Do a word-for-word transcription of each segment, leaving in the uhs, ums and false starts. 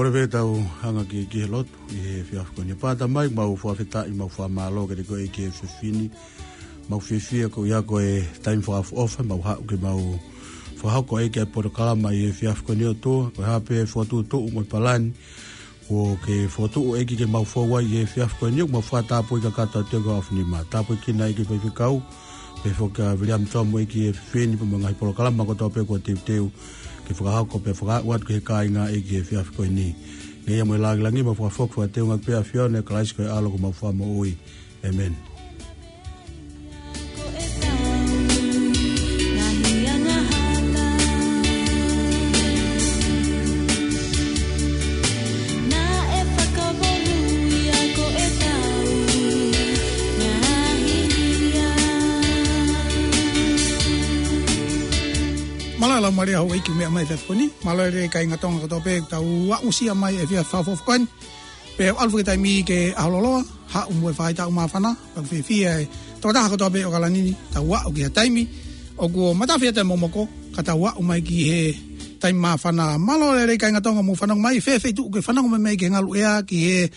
Kole pē tau hanga ki, ki he lotu ʻi he efiafi ko eni. Pata mai, mau fakafetaʻi, mau fakamālō kiate koe ʻEiki he efiafi ni. Mau fiefia ko ia ko e taimi fakaʻofoʻofa, mau haʻu ke mau fakahoko ʻEiki ʻa e polokalama ʻi he efiafi ko eni ʻOtua. Ko e hā pē fokotuʻutuʻu mo e palani kuo ke fokotuʻu ʻEiki ke mau fou ai ʻi he efiafi ko eni, ʻoku mau fakatapui kakato atu ʻEiki ʻo afunima. Tapui kina ʻEiki faifekau, pehē foki kia Viliami Tomu ʻEiki he efiafi ni, pea mo e ngaahi polokalama kotoa pē kuo teuteu ke fakahoko pea fakaaʻu atu ki he kāinga ʻEiki he efiafi ko eni. Ngeia mo e lāngilangi mau fakafoki fakateunga pē ʻAfiona ʻia Kalaisi ko e ʻAlo ko homau Fakamoʻui. ʻĒmeni. Mālō e laumālie houʻeiki meʻa mai he efiafi ni. Mālō e lelei kāinga Tonga kotoa pē, tau aʻusia mai e efiafi fakaʻofoʻofa ko eni. Pea ʻalu fakataimi ke ʻaho loloa, haʻu mo e faʻahitaʻu māfana, pea ʻoku fiefia e tokotaha kotoa pē ʻo ʻAokalani ni, tau aʻu ki ha taimi ʻoku matafi atu e momoko, ka tau aʻu mai ki he taimi māfana. Mālō e lelei kāinga Tonga mou fanongo mai, fēfē tuʻu ke fanongo mai mai ki he ngalu ʻea, ki he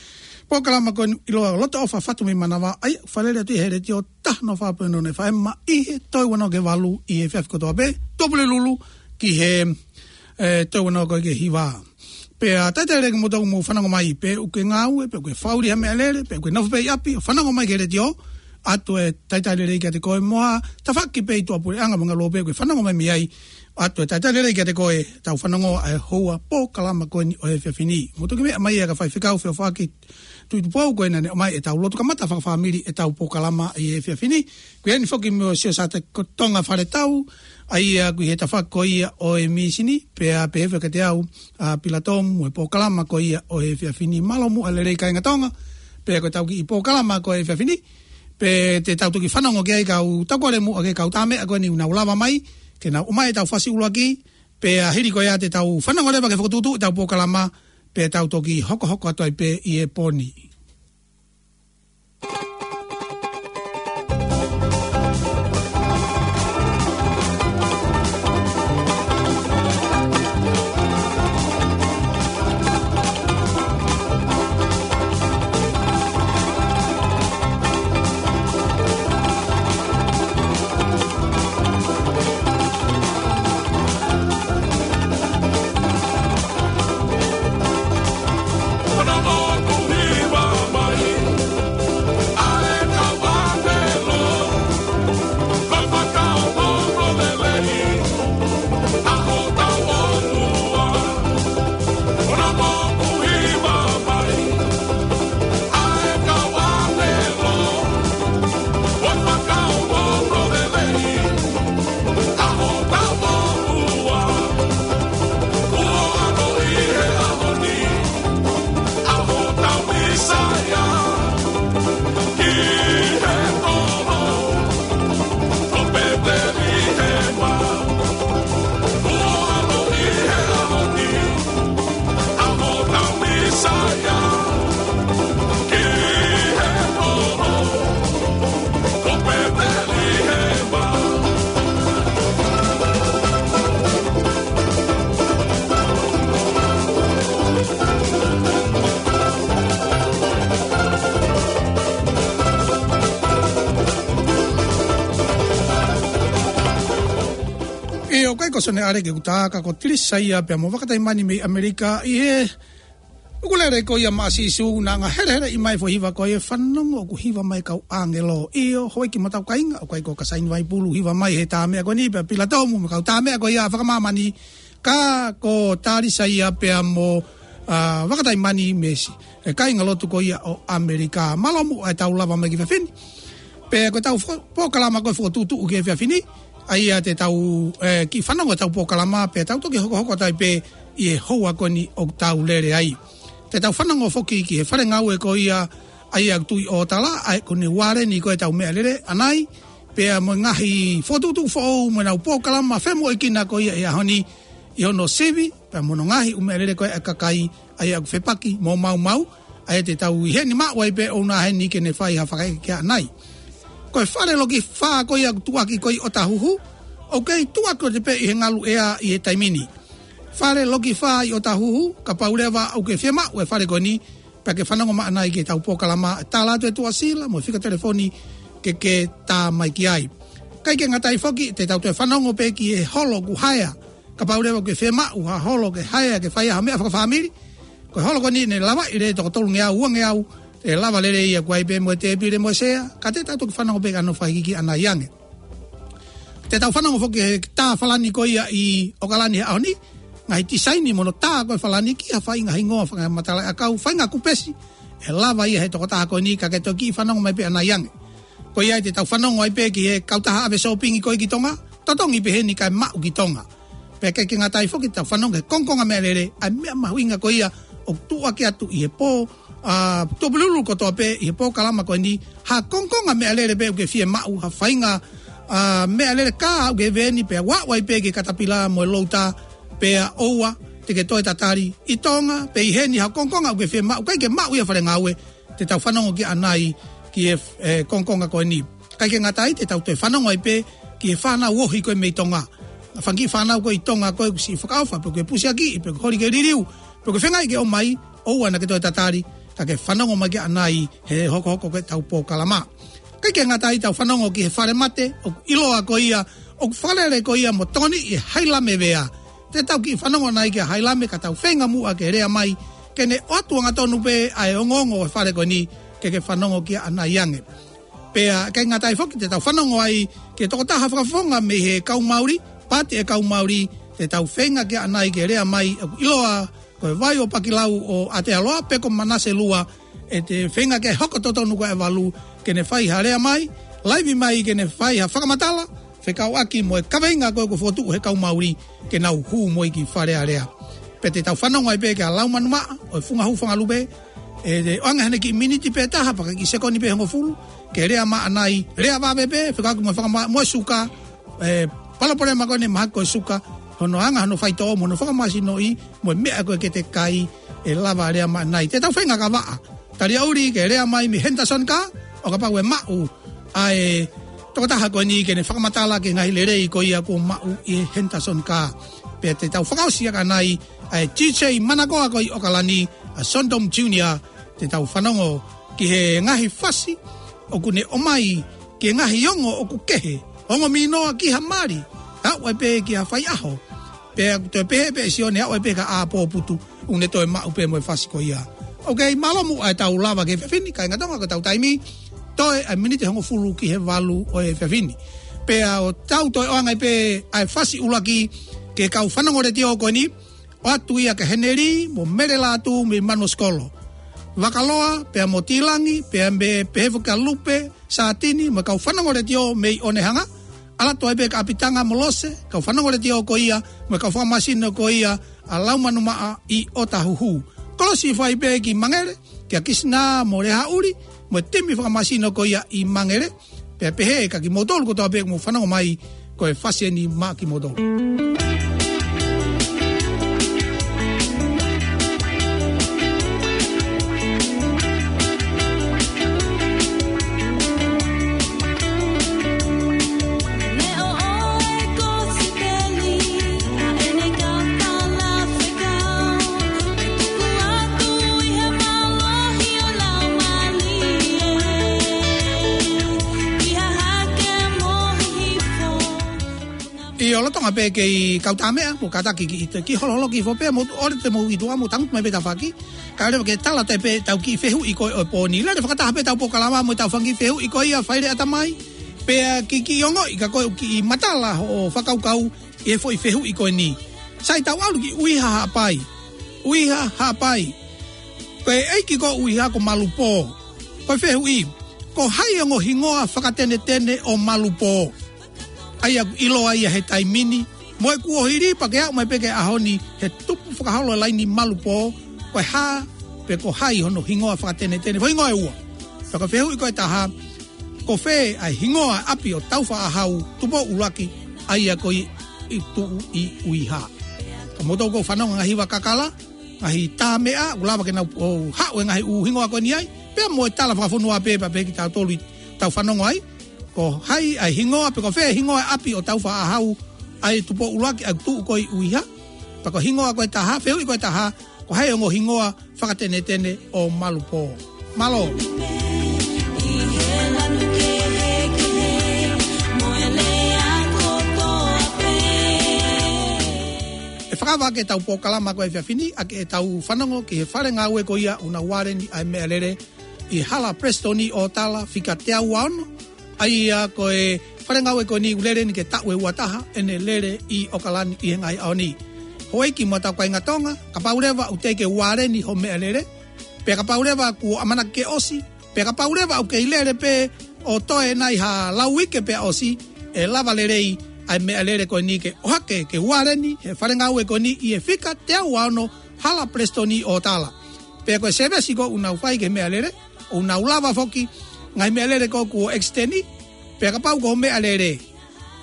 polokalama ko eni ʻiloa Loto ʻOfa Fatu mei Manava, ʻa ia ʻoku falele atu ʻi he letiō taha noa fā poini noa F M ʻi he toe ua noa ki he valu ʻi he efiafi kotoa pē, tuʻapulelulu ki he, ē, toe ua noa ko ē ki he hiva. Pea talitali lelei kimoutolu mou fanongo mai, pe ʻoku ke ngāue, pe ʻoku ke fakaʻuli ha meʻalele, pe ʻoku ke nofo pē ʻi ʻapi ʻo fanongo mai ki he letiō, ʻoatu e talitali lelei kiate koe mo ha tafaʻaki pē ʻi tuʻapuleʻanga mo e ngaluope ʻoku ke fanongo mai mei ai, ʻoatu e talitali lelei kiate koe, tau fanongo ʻa e houa polokalama ko eni ʻo e efiafi ni. Mou toki meʻa mai ʻa e kau faifekau feʻofaʻaki Tuʻitupou ko ē naʻa ne ʻomai ʻetau lotu kamata fakafāmili ʻetau polokalama ʻi he efiafi ni. Ko eni foki mo Siosiate Tonga Faletau, ʻa ia ʻoku ʻi he tafaʻaki ko ia ʻo e mīsini, pea pehē foki kiate au ʻa Pilato mo e polokalama ko ia ʻo e efiafi ni. Mālō muʻa e lelei kāinga Tonga, pea ko ʻetau kiʻi polokalama ko e efiafi ni, pea te tau toki fanongo ki ai ka u tau kole muʻa ki he kau tāmeʻa ko eni ʻoku nau lava mai ke nau ʻomai ʻetau fasi ʻuluaki, pea hili ko ia te tau fanongo leva ki he fokotuʻutuʻu ʻetau polokalama, pea tau toki hokohoko atu ai pē ʻi he pō ni. ʻIo, ʻoku ʻikai ko Sone ʻAle ke u tā, ka ko Tilisa ia pea mo Vakataimani mei ʻAmelika ʻi he ʻukulele ko ia maʻa Sīsū naʻa nau heleheleʻi mai e foʻi hiva ko ia, Fanongo ʻoku hiva mai e kau ʻāngelo. ʻIo, houʻeiki mo hotau kāinga, ʻoku ʻikai ko Kasaini Vaipulu hiva mai he tāmeʻa ko eni, pea Pilato mo e kau tāmeʻa ko ia fakamāmani, ka ko Talisa ia pea mo, ā, Vakataimani mei he kāingalotu ko ia ʻo ʻAmelika. Mālō muʻa ʻetau lava mai ki he efiafi ni. Pea ko ʻetau fo-, polokalama ko e fokotuʻutuʻu ki he efiafi ni, ʻa ia te tau, ē, kiʻi fanongo ʻetau polokalama, pea tau toki hokohoko atu ai pē ʻi he houa ko eni ʻoku tau lele ai. Te tau fanongo foki ki he fale ngāue ko ia ʻa ia ʻoku tuʻu ʻi ʻOtala, ʻa ia ko ʻene ualeni ko ē ʻetau meʻalele ʻanai, pea mo e ngaahi fokotuʻutuʻu foʻou mo ʻenau polokalama femoʻuekina ko ia ʻi he ʻaho ni, ʻi hono sivi, pea mo hono ngaahi ʻū meʻalele ko ē ʻa e kakai, ʻa ia ʻoku fepaki mo maumau, ʻa ia te tau ʻi heni maʻu ai pē ʻoʻona heni ke ne fai ha fakaʻekeʻeke ʻanai. Ko e fale loki fā ko ia ʻoku tuʻuaki ko ē ʻi ʻOtahuhu, ʻoku kei tuʻuaki ʻo te pē ʻi he ngalu ʻea ʻi he taimi ni. Fale Loki Fā ʻi ʻOtahuhu, kapau leva ʻoku ke fiemaʻu e fale ko eni, pea ke fanongo mai ʻanai ki heʻetau polokalama, tala atu e tuʻasila mo e fika telefoni ke ke tā mai ki ai. ʻIkai ke ngata ai foki, te tau toe fanongo pē ki he holo ʻoku haea, kapau leva ʻoku ke fiemaʻu ha holo ke haea ke fai ai ha meʻa fakafāmili. Ko e holo ko eni ne lavaʻi leva e toko tolungeau, uangeau, ʻe lava lelei ia, ʻoku ʻi ai pē mo e tēpile mo e sea, ka te tau toki fanongo pē ki hono fakahikihiki ʻanai ange. Te tau fanongo foki he tā falani ko ia ʻi ʻOkalani he ʻaho ni, ngaahi tisaini mo hono tā ko e falani ki ha faʻahinga hingoa fakamatala ʻakau, faʻahinga kupesi ʻe lava ia he tokotaha ko eni, ka ke toki fanongo mai pē ʻanai ange. Ko ia te tau fanongo ai pē ki he kautaha ʻave sōpingi ko ē ki Tonga, totongi pē heni kae maʻu ki Tonga. Pea ʻikai ke ngata ai foki, tau fanongo he kongokonga meʻalele, ʻa e meʻa mahuʻinga ko ia ʻoku tuʻuaki atu ʻi he pō, ʻa, Tuʻapulelulu kotoa pē ʻi he polokalama ko eni, ha kongokonga meʻalele pē ʻoku ke fiemaʻu, ha faʻahinga, ʻa, meʻalele kā ʻoku ke veni pea ʻoku ʻi ai pē ki he katapila mo e louta, pea ʻoua te ke toe tatali ʻi Tonga, pe ʻi heni ha kongokonga ʻoku ke fiemaʻu, ʻikai ke maʻu ia falengaue, te tau fanongo ki ai ʻanai ki he, e, kongokonga ko eni. ʻIkai ke ngata ai, te tau toe fanongo ai pē ki he fānau ohi ko ē mei Tonga. Fanga kiʻi fānau ko ē ʻi Tonga ko ē ʻoku siʻi fakaʻofa, pe ʻoku ke pusiakiʻi, pe ʻoku ke holi ke liliu, pe ʻoku ke feinga ke ō mai, ʻoua naʻa ke toe tatali, ka ke fanongo mai ki ai ʻanai he hokohoko ko ē ʻetau polokalama. ʻIkai ke ngata ai, tau fanongo ki he falemate ʻoku ʻiloa ko ia, ʻoku fakalele ko ia mo tokoniʻi ʻe Hailame Vea. Te tau kiʻi fanongo ʻanai kia Hailame, ka tau feinga muʻa ke lea mai, ke ne ʻoatu angatonu pē ʻa e ongoongo ʻo e fale ko eni, ke ke fanongo ki ai ʻanai ange. Pea ʻikai ngata ai foki, te tau fanongo ai ki he tokotaha fakafofonga mei he kau Mauli, Paati ʻo e Kau Mauli, te tau feinga ki ai ʻanai ke lea mai, ʻoku ʻiloa ko e Vai ʻo Pakilau ʻo Aotearoa, pe ko Manase Lua, ʻe te feinga ke hoko totonu ko ē ʻa e valu, ke ne fai ha lea mai, laivi mai ke ne fai ha fakamatala fekauʻaki mo e kaveinga ko ē ʻoku fokotuʻu he kau Mauli, ke nau hū mo ia ki Fale Alea. Pea te tau fanongo ai pē kia Laumanu Maʻa ʻo e Funga Hū Fanga Lupe, ʻe ʻoange haʻane kiʻi miniti pē ʻe taha pe ko e kiʻi sekoni pē ʻe hongofulu, ke lea mai ʻanai, lea vave pē, fekauʻaki mo e fakama-, mo e suka, e, palopalema ko eni mahaki ko e suka, hono anga hono faitoʻo mo hono fakamāsinoʻi, mo e meʻa ko ē ke te kai, ʻe lava lea mai ʻanai. Te tau feinga ka vaʻa taliauli ke lea mai mei Henderson Car, ʻo kapau ʻe maʻu ʻa e tokotaha ko eni ke ne fakamatala ki he ngaahi lelei ko ia kuo maʻu ʻi Henderson Car. Pea te tau fakaʻosi ʻaki ʻanai ʻa e D J manakoa ko ē ʻi ʻOkalani, ʻa Sondom Junior, te tau fanongo ki he ngaahi fasi ʻoku ne ʻomai ki he ngaahi ongo ʻoku kehe, ongo minoa ki ha mali, aʻu ai pē ki ha faiʻaho. Pea ʻoku toe pehē pē ʻe Sione, aʻu ai pē ki ha ʻā pōputu, ʻoku ne toe maʻu pē mo e fasi ko ia. ʻOku kei mālō muʻa ʻetau lava ki he efiafi ni, kae ʻikai ngata ai ko ʻetau taimi, toe ʻa e miniti ʻe hongofulu ki he valu ʻo e efiafi ni. Pea ʻoku tau toe ʻoange pē ʻa e fasi ʻuluaki ki he kau fanongo letiō ko eni, ʻoatu ia kia Heneli mo Mele Lātū mei Manuʻa Sikolo. Vakaloa, pea mo Tilangi, pea mo e pehē foki kia Lupe Sātini, mo e kau fanongo letiō mei Onehunga, ʻalu atu ai pē kia ʻApitanga mo Lose, kau fanongo letiō ko ia, mo e kau fakamāsino ko ia ʻa Laumanu Maʻa ʻi ʻOtahuhu. Kolosi fai pē ki Mangele, kia Kisinā mo Lehaʻuli, mo e timi fakamāsino ko ia ʻi Mangele, pea pehē kia kimoutolu kotoa pē ʻoku mou fanongo mai, ko e fasi eni maʻa kimoutolu. ʻIo, lolotonga pē kei kau tā meʻa, mo kātaki ki ʻIte, kiʻi holoholo kiʻi foʻi pē, mou ʻoua te mou ʻi tuʻa, mou tangutu mai pē tafaʻaki, kae ʻoua leva ke tala atu pē ʻetau kiʻi fehuʻi ko ē ʻo e pō ni. Lele fakataha pē ʻetau polokalama mo ʻetau fanga kiʻi fehuʻi ko ia, fai leva ʻa e tamai, pea kiʻi, kiʻi ongoʻi ka ko e kiʻi matala hoʻo fakakaukau ʻi he foʻi fehuʻi ko eni. Sai, tau ʻalu ki ʻUiha Haʻapai. ʻUiha Haʻapai. Ko e ʻeiki ko ʻUiha ko Malupō. Ko e fehuʻi, ko hai ongo hingoa fakatenetene ʻo Malupō? ʻA ia ʻoku ʻiloa ia he taimi ni, mo e kuohili pea ke aʻu mai pē ki he ʻaho ni, he tupu fakaholo e laini Malupō, ko e hā, pe ko hai hono hingoa fakatenetene, foʻi hingoa ʻe ua. Pea ko e fehuʻi ko ē ʻe taha, ko fē ʻa e hingoa ʻapi ʻo Taufaʻāhau, Tupou ʻUluaki, ʻa ia ko ē ʻoku tuʻu ʻi ʻUiha. Ka mou toki fanongo ngaahi hiva kakala, ngaahi tā meʻa, ʻoku lava ke nau ō ʻo haʻu e ngaahi ʻū hingoa ko eni ai, pea mo e tala fakafonua pē, pea pehē kitautolu ʻi heʻetau fanongo ai, ko hai ʻa e hingoa, pe ko fē hingoa ʻapi ʻo Taufaʻāhau, ʻa e Tupou ʻUluaki ʻoku tuʻu ko ē ʻi ʻUiha. Pea ko e hingoa ko ē ʻe taha, fehuʻi ko ē ʻe taha, ko hai e ongo hingoa fakatenetene ʻo Malupō. Mālō. ʻE fakaava ʻaki ʻetau polokalama ko ē he efiafi ni, ʻaki ʻetau fanongo ki he fale ngāue ko ia ʻoku nau ualeni ʻa e meʻalele ʻi Hala Palesitoni ʻo Tala, fika teau ua ono, ʻa ia ko e fale ngāue ko eni ʻoku lele ni ke taʻu ʻe ua taha ʻene lele ʻi ʻOkalani ʻi he ngaahi ʻaho ni. Houʻeiki mo ʻetau kāinga Tonga, kapau leva ʻoku teʻeki ke ualeni hoʻo meʻalele, pea kapau leva kuo ʻamanaki ke ʻosi, pea kapau leva ʻoku kei lele pē ʻo toe nai ha lau uike pea ʻosi, ʻe lava lelei ʻa e meʻalele ko eni ke ʻohake ke ualeni he fale ngāue ko eni ʻi he fika teau ua ono, Hala Palesitoni ʻo Tala. Pea ko e sēvesi ko ē ʻoku nau fai ki he meʻalele, ʻoku nau lava foki ngaahi meʻalele ko ē kuo ʻekisiteni, pea kapau ko e meʻalele,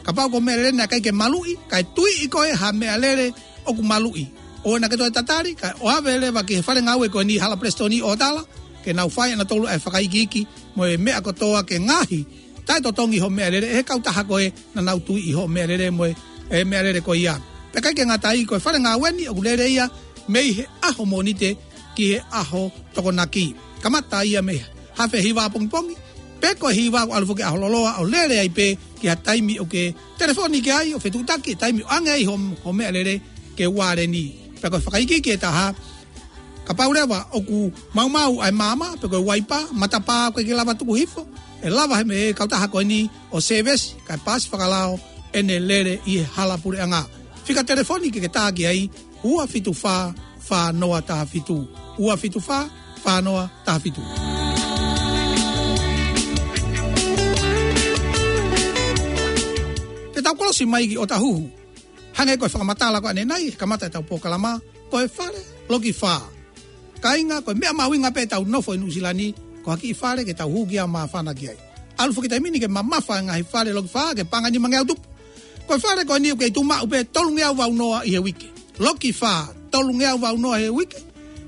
kapau ko e meʻalele naʻe ʻikai ke maluʻi, kae tuiʻi koe ha meʻalele ʻoku maluʻi, ʻoua naʻá ke toe tatali, kae ʻoave leva ki he fale ngāue ko eni Hala Palesitoni ʻo Tala, ke nau fai ʻe nautolu ʻa e fakaikiiki mo e meʻa kotoa ke ngaohi taʻetotongi hoʻo meʻalele ʻe he kautaha ko ē naʻa nau tuiʻi hoʻo meʻalele mo e, e meʻalele ko ia. Pea ʻikai ke ngata ai, ko e fale ngāue ni ʻoku lele ia mei he ʻaho Mōnite ki he ʻaho Tokonaki. Kamata ia mei he hafe hiva pongipongi, pe ko e hiva ʻo ʻalu foki ki he ʻaho loloa, ʻo lele ai pē ki ha taimi ʻoku ke telefoni ki ai ʻo fetuʻutaki e taimi ʻoku ʻoange ai hoʻo, hoʻo meʻalele ke ualeni. Pea ko e fakaikiiki ʻe taha, kapau leva ʻoku maumau ʻa e maama, pe ko e uaipa, matapā ʻoku ʻikai ke lava tuku hifo, ʻe lava he meʻa ʻa e kautaha ko eni ʻo sēvesi, kae paasi fakalao ʻene lele ʻi he hala puleʻanga. Fika telefoni ke ke tā ki ai, ua fitu fā, fā noa taha fitu. Ua fitu fā, fā noa taha fitu. Te tau kolosi mai ki ʻŌtāhuhu. Hangē ko e fakamatala ko ē ʻanenai, he kamata ʻetau polokalama, ko e fale loki fā. Kāinga, ko e meʻa mahuʻinga pē ʻetau nofo ʻi Nuʻusila ni, ko ha kiʻi fale ke tau hū ki ai ʻo māfana ki ai. ʻAlu foki taimi ni ke mamafa e ngaahi fale loki fā, ke paʻanga nima ngeau tupu. Ko e fale ko eni ʻoku kei tuʻu maʻu pē tolungeau valu noa ʻi he uike. Loki fā, tolungeau valu noa he uike.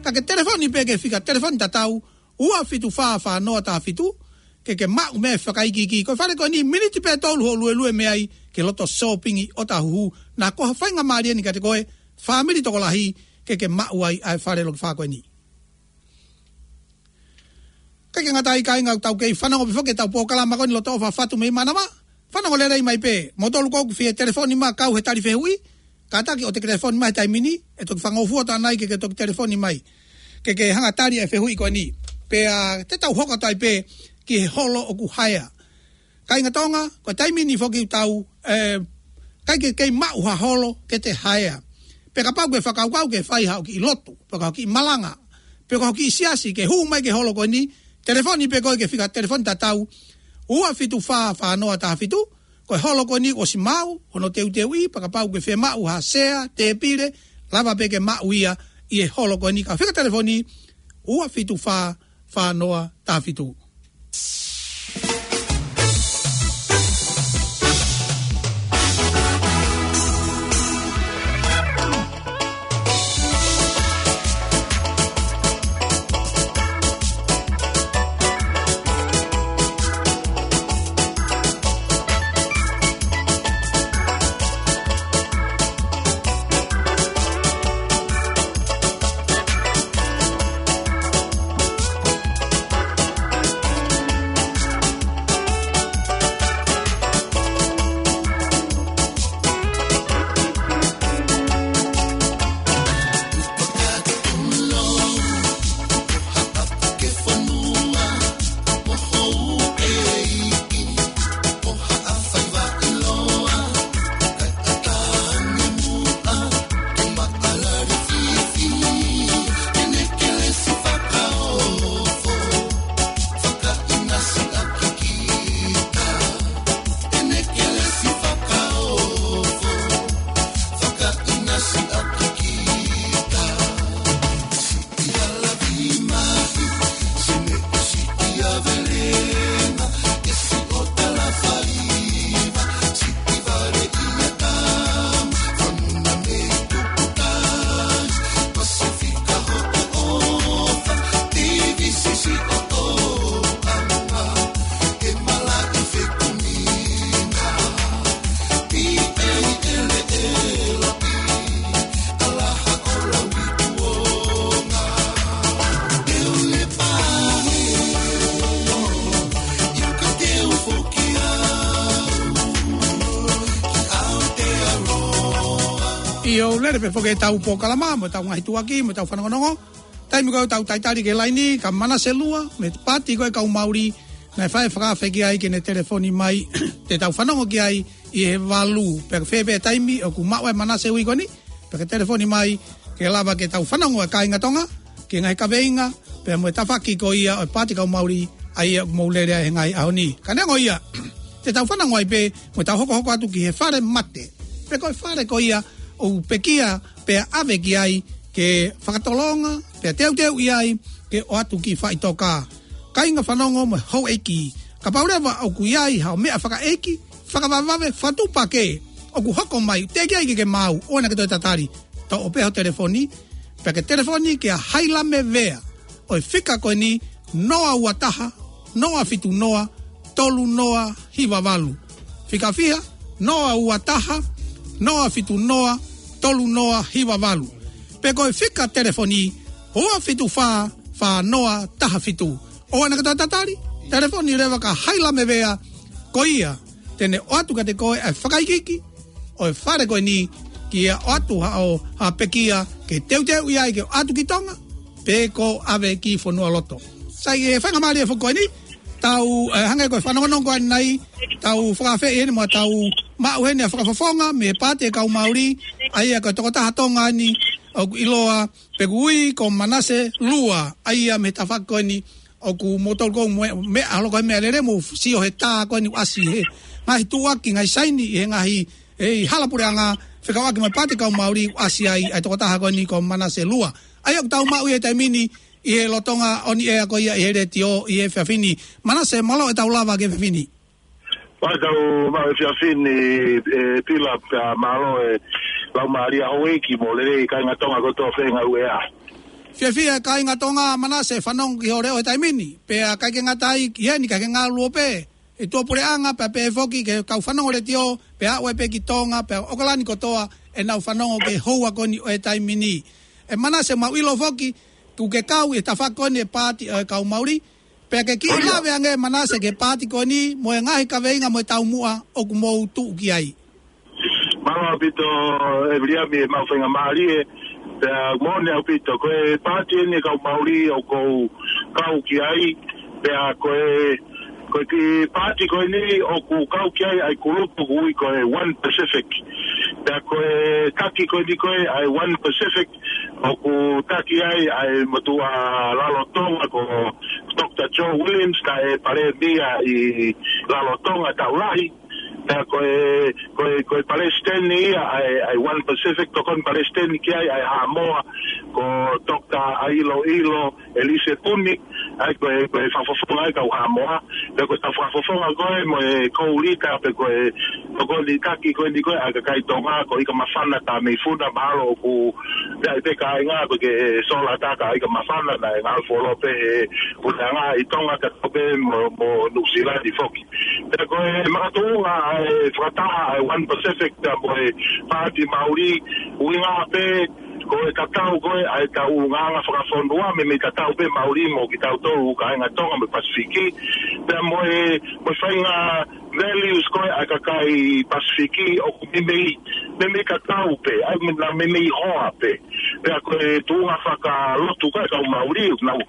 Ka ke telefoni pē ki he fika telefoni tatau, ua fitu fā, fā noa taha fitu, ke ke maʻu mei ai e fakaikiiki. Ko e fale ko eni miniti pē ʻe tolu hoʻo luelue mei ai ki he loto sōpingi ʻo ʻŌtāhuhu. Naʻa ko ha faingamālie eni kiate koe, fāmili, tokolahi, ke ke maʻu ai ʻa e fale loki fā ko eni. ʻIkai ke ngata ai, kāinga, ʻoku tau kei fanongo pē foki ki heʻetau polokalama ko eni Lotoʻofa Fatu mei Manava. Fanongo lelei mai pē. Moutolu ʻoku fie telefoni mai kau he tali fehuʻi, kātaki ʻoua te ke telefoni mai he taimi ni, ʻe toki fangofua atu ʻanai ke ke toki telefoni mai, ke ke hanga ʻo tali e fehuʻi ko eni. Pea te tau hoko atu ai pē ki he holo ʻoku haea. Kāinga Tonga, ko e taimi ni foki ʻoku tau, ē, ʻikai ke kei maʻu ha holo ke te haea. Pea kapau ʻoku ke fakakaukau ke fai haʻo kiʻi lotu, pe ko haʻo kiʻi malanga, pe ko haʻo kiʻi siasi, ke hū mai ki he holo ko eni, telefoni pē koe ki he fika telefoni tatau, ua fitu fā, fā noa taha fitu. Ko e holo ko eni kuo ʻosi maʻu hono teuteuʻi, pea kapau ʻoku ke fie maʻu ha sea, tēpile, lava pē ke maʻu ia ʻi he holo ko eni, ki he fika telefoni, ua fitu fā, fā noa taha fitu. ʻIo, lele pē foki ʻetau polokalama, mo ʻetau ngaahi tuʻuaki, mo ʻetau fanongonongo. Taimi ko ē ʻoku tau talitali ki he laini, ka Manase Lua, mei he paati ko ē kau Mauli, naʻe fai fakaafe ki ai ke ne telefoni mai, te tau fanongo ki ai, ʻi he valu. Pea ko fē pē taimi, ʻoku maʻu ʻe Manase ʻa e ui ko eni, pea ke telefoni mai, ke lava ke tau fanongo ʻa e kāinga Tonga, ki he ngaahi kaveinga, pea mo e tafaʻaki ko ia ʻo e paati kau Mauli, ʻa ia ʻoku mou lele ai he ngaahi ʻaho ni. Ka neongo ia, te tau fanongo ai pē, mo tau hokohoko atu ki he fale mate. Pe ko e fale ko ia, ʻoku pekia, pea ʻave ki ai, ke fakatolonga, pea teuteuʻi ai, ke ʻoatu ki faʻitoka. Kāinga fanongo mo e houʻeiki. Kapau leva ʻoku ʻi ai haʻo meʻa fakaʻeiki, fakavavevave, fakatuʻupakē, ʻoku hoko mai, teʻeki ai ke ke maau, ʻoua naʻa ke toe tatali. Toʻo pē ho telefoni, pea ke telefoni kia Hailame Vea, ʻo e fika ko eni, noa ua taha, noa fitu noa, tolu noa hiva valu. Fika fiha, noa ua taha, noa fitu noa, tolu noa hiva valu. Pe ko e fika telefoni, ua fitu fā, fā noa taha fitu. ʻOua naʻa ke toe tatali, telefoni leva kia Hailame Vea, ko ia, te ne ʻoatu kiate koe ʻa e fakaikiiki, ʻo e fale ko eni, ke ʻoatu haʻo, ha pekia, ke teuteuʻi ai ke ʻoatu ki Tonga, pe ko ʻave ki fonualoto. Sai, ʻe faingamālie foki ko eni, tau, eh, hangē ko e fanongonongo ko eni nai, tau fakaafeʻi eni mo tau maʻu heni ʻa e fakafofonga, mei he paati ʻa e kau Mauli, ʻa ia ko e tokotaha Tonga eni, ʻoku ʻiloa, pe ʻoku ui ko Manase Lua, ʻa ia mei he tafaʻaki ko eni, ʻoku mou tolu ko ē mo e, meʻa holo ko e meʻalele mo sio he tā ko eni ʻasi he. Ngaahi tuʻuaki, ngaahi saini, he ngaahi, he hala puleʻanga, fekauʻaki mo e paati kau Mauli, ʻasi ai, ʻa e tokotaha ko eni ko Manase Lua. ʻA ia ʻoku tau maʻu ia he taimi ni, ʻi he lolotonga ʻo e ʻea ko ia ʻi he letiō, ʻi he efiafi ni. Manase, mālō e tau lava ki he efiafi ni. Mālō e tau maʻu e efiafi ni, ʻe Pila, pea mālō e laumālie houʻeiki mo lelei kāinga Tonga kotoa fē ngāue ʻa. Fiefia kāinga Tonga Manase fanongo ki hoʻo leʻo he taimi ni. Pea ʻikai ke ngata ai ki heni ka ke ngāue pē. ʻE tuʻa puleʻanga pea pehē foki ki he kau fanongo letiō, pea aʻu ai pē ki Tonga, pea ʻOkalani kotoa, ʻenau fanongo ki he houa ko eni ʻo e taimi ni. ʻE Manase mau ʻilo foki, ʻoku ke kau ʻi he tafaʻaki ko eni ʻa e paati ʻa e kau Mauli, pea ke kiʻi lave ange Manase ki he paati ko eni, mo e ngaahi kaveinga mo e taumuʻa ʻoku mou tuʻu ki ai. Mālō ʻaupito ʻe Viliami e mau faingamālie, pea moʻoni ʻaupito, ko e paati eni kau Mauli ʻoku ou kau ki ai, pea ko e, ko e kiʻi paati ko eni ʻoku kau ki ai ʻa e kulupu ʻoku ui ko e One Pacific. Pea ko e taki ko eni ko e ʻa e One Pacific, ʻoku taki ai ʻa e motuʻa Lalotonga ko Doctor Joe Williams, naʻe palēmia ʻi Lalotonga taʻu lahi. Pea ko e, ko e, ko e palesiteni ia ʻa e, ʻa e One Pacific, tokoni palesiteni ki ai ʻa e Haʻamoa, ko Doctor ʻAiloʻilo ʻElise Puni, ʻa ia ko e, ko e fakafofonga ʻa e kau Haʻamoa. Pea ko e fakafofonga ko ē mo e koulita pe ko e tokoni taki ko eni ko e ʻa e kakai Tonga, ko Ikamafana Tameifuna, mahalo ʻoku ʻi ai pē kāinga ʻoku ke sola taka ʻa Ikamafana, naʻe ngāue fuoloa pē he puleʻanga ʻi Tonga kae pehē mo, mo Nuʻusila ni foki. Pea ko e makatuʻunga ʻa e fakataha ʻa e One Pacific pea mo e paati Mauli, ʻuhinga pē, ko e tatau ko ē ʻa e tau ʻulungaanga fakafonua, meimei tatau pē Mauli mo kitautolu kāinga Tonga mo e Pasifiki, pea mo e, mo e faʻahinga values ko ē ʻa e kakai Pasifiki ʻoku meimei, meimei tatau pē, ʻa ia meimei hoa pē. Pea ko e tuʻunga fakalotu ko ē kau Mauli, ʻoku nau,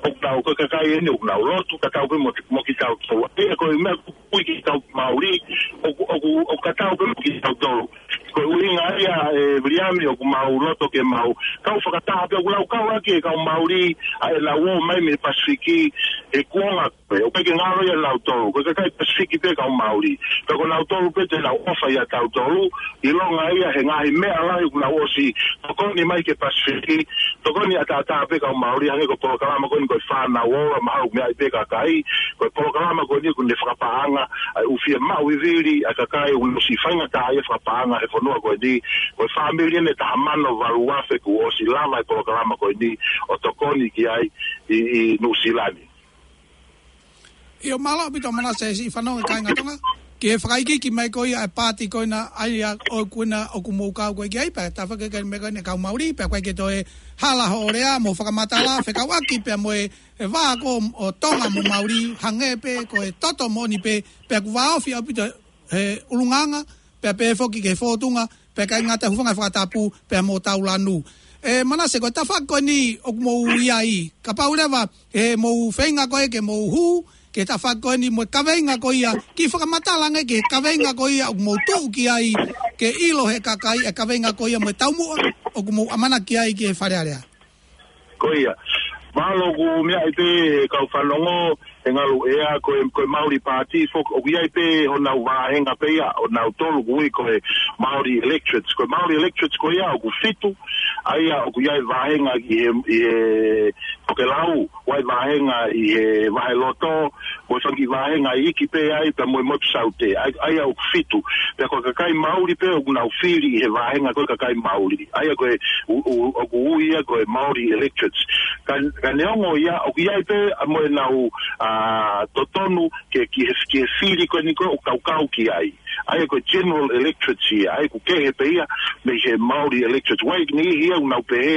ʻoku nau ko e kakai eni, ʻoku nau lotu, tatau pē mo, mo kitautolu. ʻA ia ko e meʻa ʻoku ui ki he kau Mauli, ʻoku, ʻoku, ʻoku tatau pē mo kitautolu. Ko e ʻuhinga ia ʻe Viliami ʻoku mau loto ke mau kau fakataha pē ʻoku lau kau ʻaki e kau Mauli ʻa ʻenau ō mai mei Pasifiki he kuonga ko ē. ʻOku ʻikai ke ngalo ia ʻia nautolu. Ko e kakai Pasifiki pē kau Mauli. Pea ko nautolu pē te nau ʻofa ʻia tautolu. ʻIlonga ia he ngaahi meʻa lahi ʻoku nau ʻosi tokoni mai ki he Pasifiki. Tokoni ʻataʻatā pē kau Mauli hangē ko e polokalama ko eni ko e Fānau Ola, mahalo ʻoku meaʻi pē kakai, ko e polokalama ko eni ʻoku ne fakapaʻanga ʻa e ʻū fiemaʻu vivili ʻa e kakai ʻoku nau ʻosi faingataʻaʻia fakapaʻanga he fonua ko eni, ko e fāmili eni ʻe taha mano valu afe kuo ʻosi lava e polokalama ko eni ʻo tokoni ki ai ʻi, ʻi Nuʻusila ni. ʻIo, mālō ʻaupito Manase, siʻi fanongo e kāinga Tonga, ki he fakaikiiki mai ko ia e paati ko ena ʻa ia ʻoku ena ʻoku mou kau ko ē ki ai pea tafaʻaki ki he meʻa ko ena kau Mauli, pea ʻoku ʻikai ke toe hala hoʻo lea mo fakamatala, fekauʻaki pea mo e, e vā ko ē ʻo Tonga mo Mauli, hangē pē ko e toto moʻoni pē, pea ʻoku vāofi ʻaupito he ʻulungaanga, pea pehē foki ki he fōtunga, pea ʻikai ngata, hūfanga he fakatapu, pea mo Taulanu. ʻE Manase, ko e tafaʻaki ko eni ʻoku mou ʻi ai, kapau leva ʻe mou feinga ko ē ke mou hū ki he tafaʻaki ko eni mo e kaveinga ko ia, kiʻi fakamatala ange ki he kaveinga ko ia ʻoku mou tuʻu ki ai, ke ʻilo he kakai e kaveinga ko ia mo e taumuʻa ʻoku mou ʻamanaki ai ki he Fale Alea. Ko ia. Mālō. ʻOku meaʻi pē he kau fanongo, he ngalu ea, ko e, ko e Maori Party foki, ʻoku ʻi ai pē honau vāhenga pē ia, ʻo nautolu ʻoku ui ko e Maori Electorates. Ko e Maori Electorates ko ia ʻoku fitu, ʻa ia ʻoku ʻi ai vāhenga ʻi he, ʻi he tokelau, ʻoku ʻi ai vāhenga ʻi he vaheloto, mo e fanga kiʻi vāhenga iiki pē ai, pea mo e Motu Saute, ʻa ia, ʻa ia ʻoku fitu. Pea ko e kakai Maori pē ʻoku nau fili ʻi he vāhenga ko e kakai Maori. ʻA ia ko e, ʻu, ʻu, ʻoku ui ia ko e Maori Electorates. Ka, ka neongo ia, ʻoku ʻi ai pē ʻa mo ʻenau, ʻa, totonu ke, ki he, ki he fili ko eni ko ē ʻoku kau ki ai. ʻA ia ko e General Electorates ia, ʻa ia ʻoku kehe pē ia mei he Maori Electorates. ʻOku ʻi ai e niʻihi ia ʻoku nau pehē,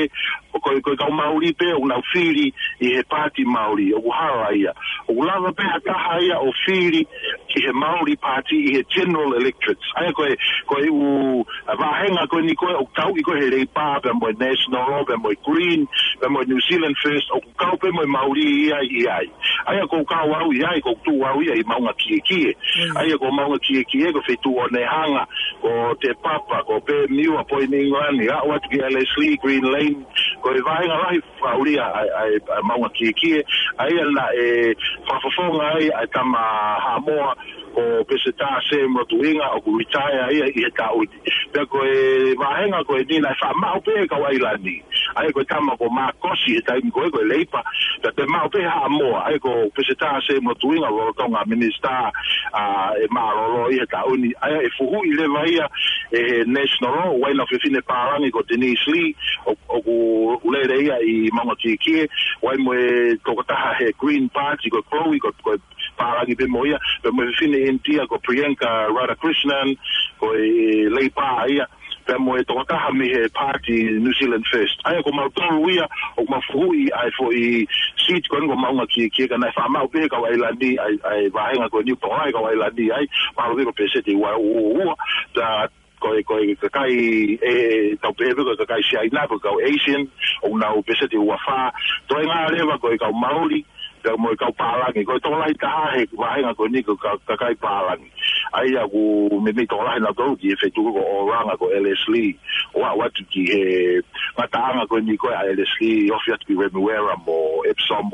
ʻoku, ko e kau Maori pē ʻoku nau fili ʻi he Paati Maori, ʻoku hala ia. ʻOku lava pē ha taha ia ʻo fili ki he Maori Party ʻi he General Electorates. ʻA ia ko e, ko e ʻū, ʻa, vāhenga ko eni ko ē ʻoku tauʻi ko ē he Leipa, pea mo e National, pea mo e Green, pea mo e New Zealand First, ʻoku kau pē mo e Maori ia ʻi ai. ʻA ia ʻoku ou kau au ʻi ai, ʻoku ou tuʻu au ia ʻi Maungakiekie. Mm. ʻA ia ko Maungakiekie, ko e feituʻu ʻo Onehunga, ko Te Papa, ko Perthmiu, Point England, ʻo aʻu atu ki Ellerslie, Green Lane, ko e vāhenga lahi fakaʻulia ʻa, ʻa, ʻa Maungakiekie, ʻa ia naʻe fakafofonga ai ʻa e tama Haʻamoa, ko Peseta Sam Lotuinga, ʻoku retire ia ʻi he taʻu ni. Pea ko e vāhenga ko eni naʻe faʻa maʻu pē ʻe he kau ʻAilani. ʻA ia ko e tama ko Markosi he taimi ko ē ko e Leipa, pea toe maʻu pē ʻe he Haʻamoa, ʻa ia ko Peseta Sam Lotuinga lolotonga minisitā, ʻa, ʻe mālōlō ʻi he taʻu ni. ʻA ia ʻe fuhuʻi leva ia ʻe he National, ʻoku ʻi ai ʻenau fefine pālangi ko Denise Lee, ʻo, ʻoku lele ia ʻi Maungakiekie, ʻoku ʻi ai mo e tokotaha he Green Party ko Chloe, ko, ko e pālangi pē mo ia, pea mo e fefine India ko Priyanka Radhakrishnan, ko e Leipa ia, pea mo e tokotaha mei he Paati New Zealand First. ʻA ia ko mautolu ia, ʻoku mau fuhuʻi ʻa e foʻi seat ko eni ko Maungakiekie, ka naʻe faʻa maʻu pē ʻe he kau ʻAilani ʻa e, ʻa e vāhenga ko eni, tokolahi kau ʻAilani ai, mahalo pē ko e pēseti ua, ua, ua, pea ko e, ko e kakai, ʻe, tau pehē pē ko e kakai Siaina, ko e kau Asian, ʻoku nau pēseti ua fā, toenga leva ko e kau Maori, pea mo e kau pālangi, ko e tokolahi taha he vāhenga ko eni ko e ka-, kakai pālangi. ʻA ia ʻoku meimei tokolahi nautolu ki he feituʻu ko ʻOlanga, ko Ellerslie, ʻo aʻu atu ki he ngataʻanga ko eni ko ē ʻa Ellerslie, ofi atu ki Remuera mo Epsom,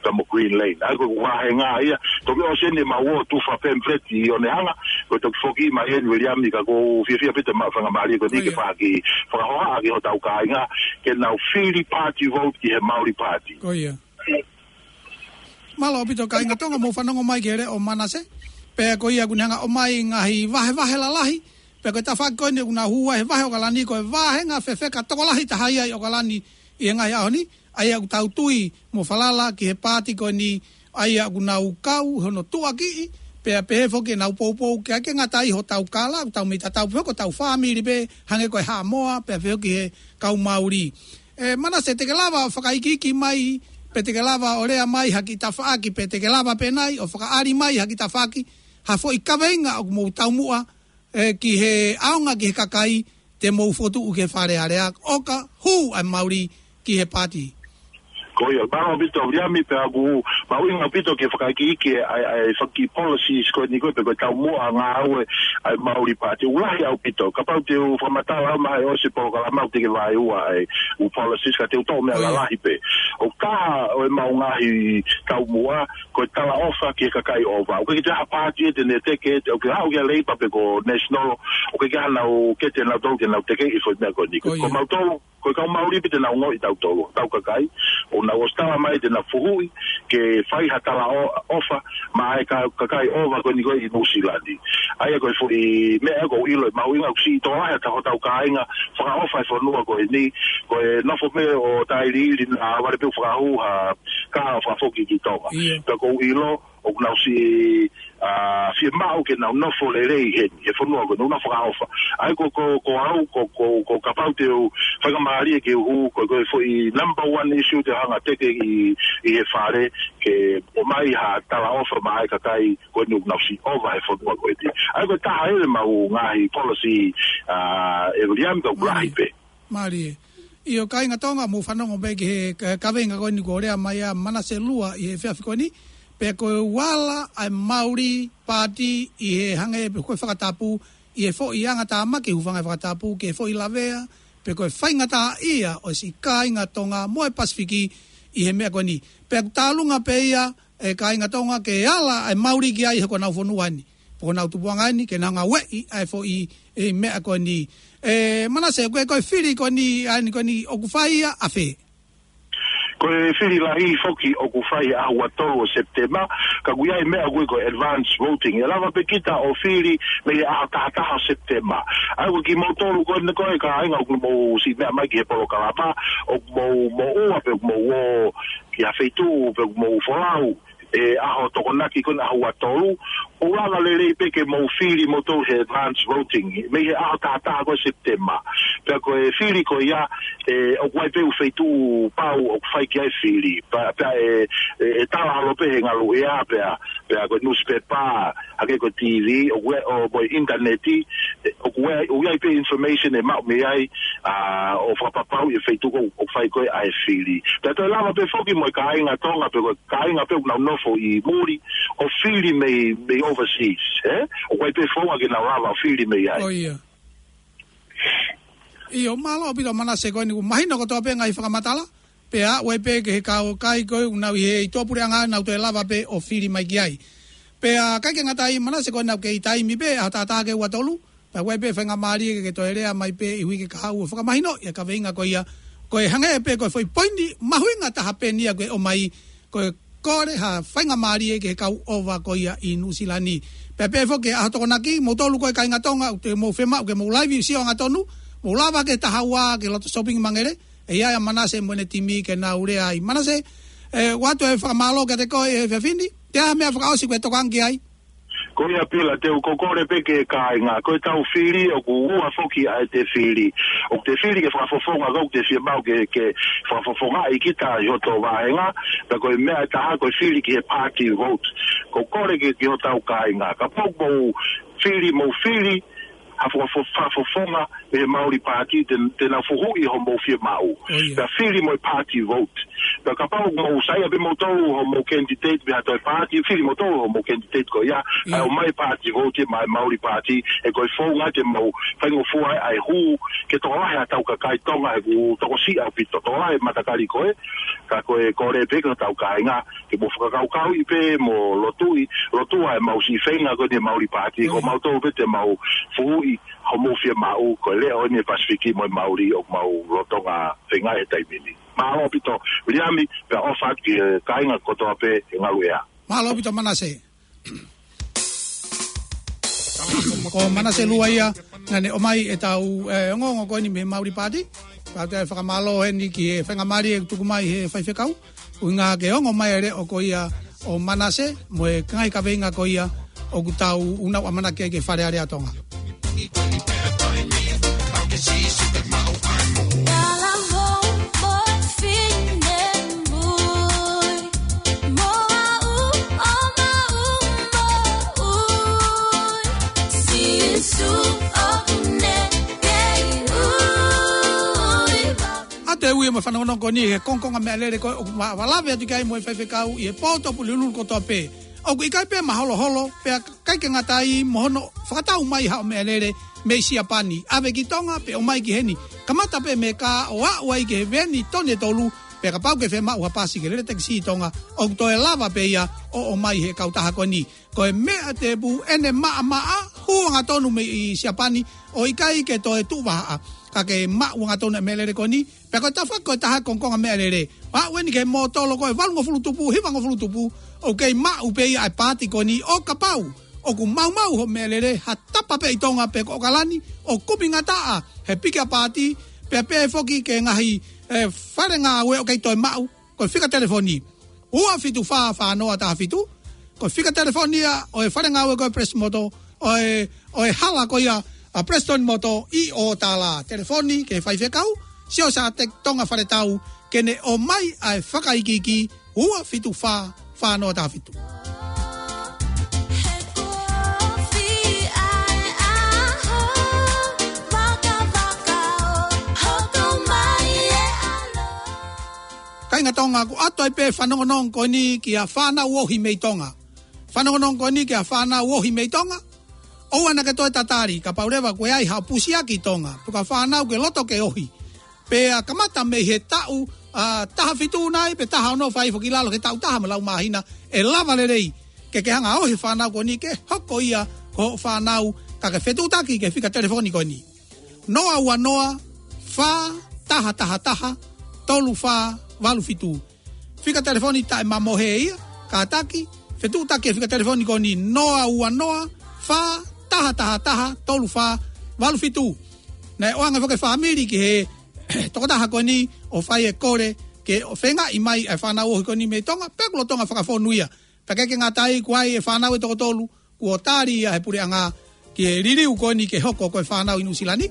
pea mo Green Lane. ʻA ia ko e vāhenga ia, toki ʻosi eni ʻemau ō ʻo tufa pamphlet ʻi Onehunga, ko e toki foki mai eni Viliami, ka ʻoku ou fiefia pē te mau faingamālie ko eni ke faki fakahohaʻa ki hotau kāinga, ke nau fili party vote ki he Maori Party. Ko ia. Mālō ʻaupito kāinga Tonga, mou fanongo mai ki he leʻo ʻo Manase. Pea ko ia ʻoku ne hanga ʻo ʻomai ngaahi vahevahe lalahi, pea ko e tafaʻaki ko eni ʻoku nau hū ai he vahe ʻOkalani, ko e vāhenga fefeka tokolahi taha ia ʻi ʻOkalani ʻi he ngaahi ʻaho ni, ʻa ia ʻoku tau tui mo falala ki he paati ko eni, ʻa ia ʻoku nau kau hono tuʻakiʻi, pea pehē foki ʻenau poupou, ʻikai ke ngata ai hotau kālā, ʻoku tau mei tatau pē ko hotau fāmili pē, hangē ko e Haʻamoa, pea pehē ki he kau Maori. ʻE Manase, te ke lava ʻo fakaikiiki mai, pe te ke lava ʻo lea mai ha kiʻi tafaʻaki, pe te ke lava pē nai ʻo fakaʻali mai ha kiʻi tafaʻaki, ha foʻi kaveinga ʻoku mou taumuʻa, ʻe, ki he ʻaonga ki he kakai, te mou fokotuʻu ki he Fale Alea, ʻo ka hū ʻa e Maori ki he paati. Ko ia, mālō ʻaupito Viliami, pea ʻoku mahuʻinga ʻaupito ke fakaikiiki ʻa e, ʻa e fanga kiʻi policies ko eni ko ē pe ko e taumuʻa ngāue ʻa e Maori Party. ʻOku lahi ʻaupito, kapau te u fakamatala mai he ʻosi polokalama ʻoku teʻeki vaeua ʻa e ʻū policies ka te u toʻo meʻa lalahi pē. ʻOku taha ʻo ʻemau ngaahi taumuʻa, ko e talaʻofa ki he kakai ʻova. ʻOku ʻikai ke ʻi ai ha paati ia te ne teke, ʻoku ke haʻu ki he Leipa pe ko National, ʻoku ʻikai ke ʻi ai haʻanau kete nautolu ke nau tekeʻi e foʻi meʻa ko eni. Ko mautolu, ko e kau Maori pē te nau ongoʻi tautolu, tau kakai, ʻoku nau ʻosi tala mai te nau fuhuʻi, ke fai ha talaʻofa maʻa e ka-, kakai ʻova ko eni ko ē ʻi Nuʻusila ni. ʻA ia ko e foʻi meʻa ʻoku ou ʻilo ʻe mahuʻinga ʻoku siʻi tokolahi ʻa hotau kāinga fakaʻofa e fonua ko eni, ko e nofo pē ʻo tailiili naʻa vale pē ʻo fakahū ha kahaʻu fakafoki ki Tonga. Pea ʻoku ou ʻilo, ʻoku nau siʻi, ʻa, fiemaʻu ke nau nofo lelei heni, he fonua ko eni, ʻoku nau fakaʻofa. ʻA ia ko, ko, ko au, ko, ko, ko kapau te u faingamālie ke u hū, ko, ko e foʻi number one issue te u hanga ʻo teke ʻi, ʻi he Fale, ke ʻomai ha talaʻofa maʻa e kakai ko eni ʻoku nau siʻi ʻova he fonua ko eni. ʻA ia ko e taha ia ʻemau ngaahi policy, ʻa, ʻe Viliami, ka ʻoku lahi pē. Mālie. ʻIo kāinga Tonga, mou fanongo pē ki he ka-, kaveinga ko eni kuo lea mai ʻa Manase Lua ʻi he efiafi ko eni. Pea ko e uala ʻa e Maori Party ʻi he hangē pē ko e fakatapu, ʻi he foʻi angatāmaki, hūfanga he fakatapu, ki he foʻi lavea, pe ko e faingataʻaʻia ʻo e siʻi kāinga Tonga mo e Pasifiki ʻi he meʻa ko eni. Pea ʻoku tālunga pē ia, ʻe kāinga Tonga, ke ala ʻa e Maori ki ai he ko honau fonua eni, pe ko honau tupuʻanga eni, ke nau ngāueʻi ʻa e foʻi, ʻe, meʻa ko eni. ʻE, Manase, ko e, ko e fili ko eni, ʻa eni ko eni ʻoku fai ia ʻafē? Ko e fili lahi foki ʻoku fai he ʻaho ua tolu ʻo Sepitema, ka ʻoku ʻi ai e meʻa ʻoku ui ko e advance voting. ʻE lava pē kita ʻo fili mei he ʻaho taha taha ʻo Sepitema. ʻA ia ko kimoutolu ko eni ko e kāinga ʻoku mou siʻi meʻa mai ki he polokalama, ʻoku mou, mou ʻoua pe ʻoku mou ō ki ha feituʻu pe ʻoku mou folau, ʻe, ʻaho Tokonaki ko eni ʻaho ua tolu, ʻoku lava lelei pē ke mou fili moutolu he advance voting mei he ʻaho taha taha ko ē Sepitema. Pea ko e fili ko ia, ʻe, ʻoku ʻi ai pē ʻū feituʻu pau ʻoku fai ki ai e fili. Pea, pea ʻe, ʻe, ʻe tala holo pē he ngaluʻea, pea, pea ko e newspaper, hangē ko e T V, ʻoku ʻi ai, ʻo, mo e ʻinitaneti, ʻe, ʻoku ʻi ai, ʻoku ʻi ai pē information ʻe maʻu mei ai, ʻa, ʻo fakapapauʻi e feituʻu ko ē ʻoku fai ko ē ʻa e fili. Pea toe lava pē foki mo e kāinga Tonga, pe ko e kāinga pē ʻoku nau nofo ʻi muli, ʻo fili mei, mei overseas, ē? ʻOku ʻi ai pē founga ke nau lava ʻo fili mei ai. ʻIo, mālō ʻaupito Manase, ko eni kuo mahino kotoa pē ngaahi fakamatala, pea ʻoku ʻi ai pē ki he kau kai ko ē ʻoku nau ʻi he ʻi tuʻapuleʻanga nau toe lava pē ʻo fili mai ki ai. Pea ʻikai ke ngata ai Manase, ko ʻenau kei taimi pē, ʻaho taha taha ki he ua tolu, pea ʻoku ʻi ai pē faingamālie ke, ke toe lea mai pē ʻi he uike kahaʻu ʻo fakamahinoʻi e kaveinga ko ia, ko e hangē pē ko e foʻi poini mahuʻinga taha pē eni ia ko e ʻomai, ko e kole ha faingamālie ki he kau ʻova ko ia ʻi Nuʻusila ni. Pea pehē foki ki he ʻaho Tokonaki, moutolu ko e kāinga Tonga, ʻoku te mou fiemaʻu ke mou laivi sio angatonu, mou lava ki he taha ua ki loto Shopping Mangere, ʻe ʻi ai ʻa Manase mo ʻene timi ke nau lea ai. Manase, ʻe, ʻoatu e fakamālō kiate koe he efiafi ni, ʻi ai ha meʻa fakaʻosi ʻoku ke tokanga ki ai? Ko ia Pila, te u kole pē ki he kāinga, ko ʻetau fili ʻoku ua foki ʻa ʻete fili. ʻOku te fili ke fakafofonga, ka ʻoku te fiemaʻu ke, ke fakafofongaʻi kita ʻi hoto vāhenga, pea ko e meʻa ʻe taha ko e fili ki he party vote. ʻOku ou kole ki, ki hotau kāinga, kapau ʻoku mou fili, mou fili ha fakafo-, fakafofonga mei he Maori Party, te, te nau fehuʻi homou fiemaʻu. ʻIo. Pea fili mo e party vote. Pea kapau ʻoku mou saiʻia pē moutolu homou candidate mei ha toe party, fili moutolu homou candidate ko ia, ʻio, kae ʻomai party vote maʻa e Maori Party, he ko e founga te mau faingofua ai ʻa e hū, ke tokolahi ʻetau kakai Tonga, he ʻoku tokosiʻi ʻaupito, tokolahi e matakali ko ē, ka ko e kole pē ki hotau kāinga, ke mou fakakaukauʻi pē mo lotuʻi, lotua ʻemau siʻi feinga ko eni Maori Party, ko, ʻio, mautolu pē te mau fehuʻi homou fiemaʻu, ko e leʻo eni e Pasifiki mo e Maori ʻoku mau lolotonga feingaʻi he taimi ni. Mālō ʻaupito, Viliami, pea ʻofa atu ki he kāinga kotoa pē he ngaluʻea. Mālō ʻaupito Manase. Ko Manase Lua ia, naʻa ne ʻomai ʻetau, ʻe, ongoongo ko eni mei he Maori Party. Pea ʻoatu e fakamālō heni ki he faingamālie ʻoku tuku mai he faifekau, ʻuhinga ke ongo mai e leʻo ko ia ʻo Manase, mo e ngaahi kaveinga ko ia ʻoku tau, ʻoku nau ʻamanaki ai ki he Fale Alea ʻo Tonga. ʻA ia te u ui mo e fanongonongo ko eni he kongokonga meʻalele ko ē ʻoku ma-, ma lave atu ki ai mo e faifekau ʻi he pō Tuʻapulelulu kotoa pē. ʻOku ʻikai pē maholoholo, pea ʻikai ke ngata ai mo hono fakatau mai haʻo meʻalele mei Siapani. ʻAve ki Tonga pe ʻomai ki heni. Kamata pē mei he kā ʻo aʻu ai ki he veeni tone tolu, pea kapau ʻoku ke fiemaʻu ha pasi ke lele takisī ʻi Tonga, ʻoku toe lava pē ia ʻo ʻomai he kautaha ko eni. Ko e meʻa tēpū ʻene maʻamaʻa, hū angatonu mei Siapani, ʻo ʻikai ke toe tuʻu vahaʻa. Ka ke maʻu angatonu e meʻalele ko eni, pea ko e tafa ko e taha kongokonga meʻalele. Aʻu eni ki he mōtolo ko e valungofulu tupu, hivangofulu tupu, ʻoku kei maʻu pē ia ʻa e paati ko eni ʻo kapau ʻoku maumau hoʻo meʻalele, ha tapa pē ʻi Tonga pe ko ʻAokalani, ʻo kumi ngataʻa he piki ʻa paati, pea pehē foki ki he ngaahi, ʻe, fale ngāue ʻoku kei toe maʻu, ko e fika telefoni. Ua fitu fā fā noa taha fitu, Ko e fika telefoni ia ʻo e fale ngāue ko e Presimoto, ʻo e, ʻo e hala ko ia ʻa Preston Motor ʻi ʻOtala. Telefoni ki he faifekau, Siosiate Tonga Faletau, ke ne ʻomai ʻa e fakaikiiki, ua fitu fā, fā noa taha fitu. Kāinga Tonga, kuo ʻoatu ai pē fanongonongo ko eni ki he fānau ohi mei Tonga. Fanongonongo ko eni ki he fānau ohi mei Tonga. ʻOua naʻá ke toe tatali, kapau leva kuo ʻi ai haʻo pusiaki ʻi Tonga, pe ko ha fānau ke loto ke ohi. Pea kamata mei he taʻu, ʻa, taha fitu nai, pe taha ono, fai foki lalo ki he taʻu taha mo e lau māhina, ʻe lava lelei ke ke hanga ʻo ohi e fānau ko eni ke hoko ia ko hoʻo fānau, ka ke fetuʻutaki ki he fika telefoni ko eni. Noa ua noa, fā taha taha taha, tolu fā valu fitu. Fika telefoni taʻemamohe ia, kātaki, fetuʻutaki e fika telefoni ko eni, noa ua noa, fā taha taha taha, tolu fā valu fitu. Naʻe ʻoange foki e fāmili ki he tokotaha ko eni ʻo fai e kole ke feingaʻi mai e fānau ohi ko eni mei Tonga, pea kuo lolotonga fakafonu ia. Pea ʻikai ke ngata ai, kuo ʻi ai e fānau ʻe toko tolu kuo tali ia ʻe he puleʻanga ki he liliu ko eni ke hoko ko e fānau ʻi Nuʻusila ni.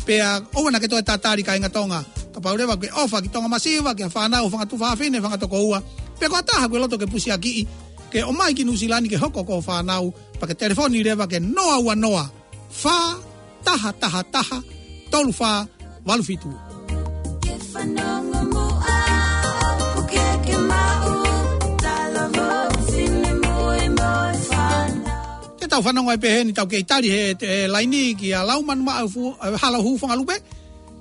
Pea ʻoua naʻá ke toe tatali, kāinga Tonga. Kapau leva kuo ke ʻofa ki Tonga masiva, ki he fānau, fanga tuofāfine, fanga tokoua, pe ko ha taha kuo ke loto ke pusiakiʻi ke ʻomai ki Nuʻusila ni ke hoko ko hoʻo fānau, pea ke telefoni leva ki he noa ua noa, fā taha taha taha, tolu fā valu fitu. Ke fanongo muʻa, ʻoku ke maʻu, talavou, finemui mo e fānau. Te tau fanongo ai pē heni, tau kei tali he, he laini kia Laumanu Maʻafu, ʻa, Halahuhu Fongalupe,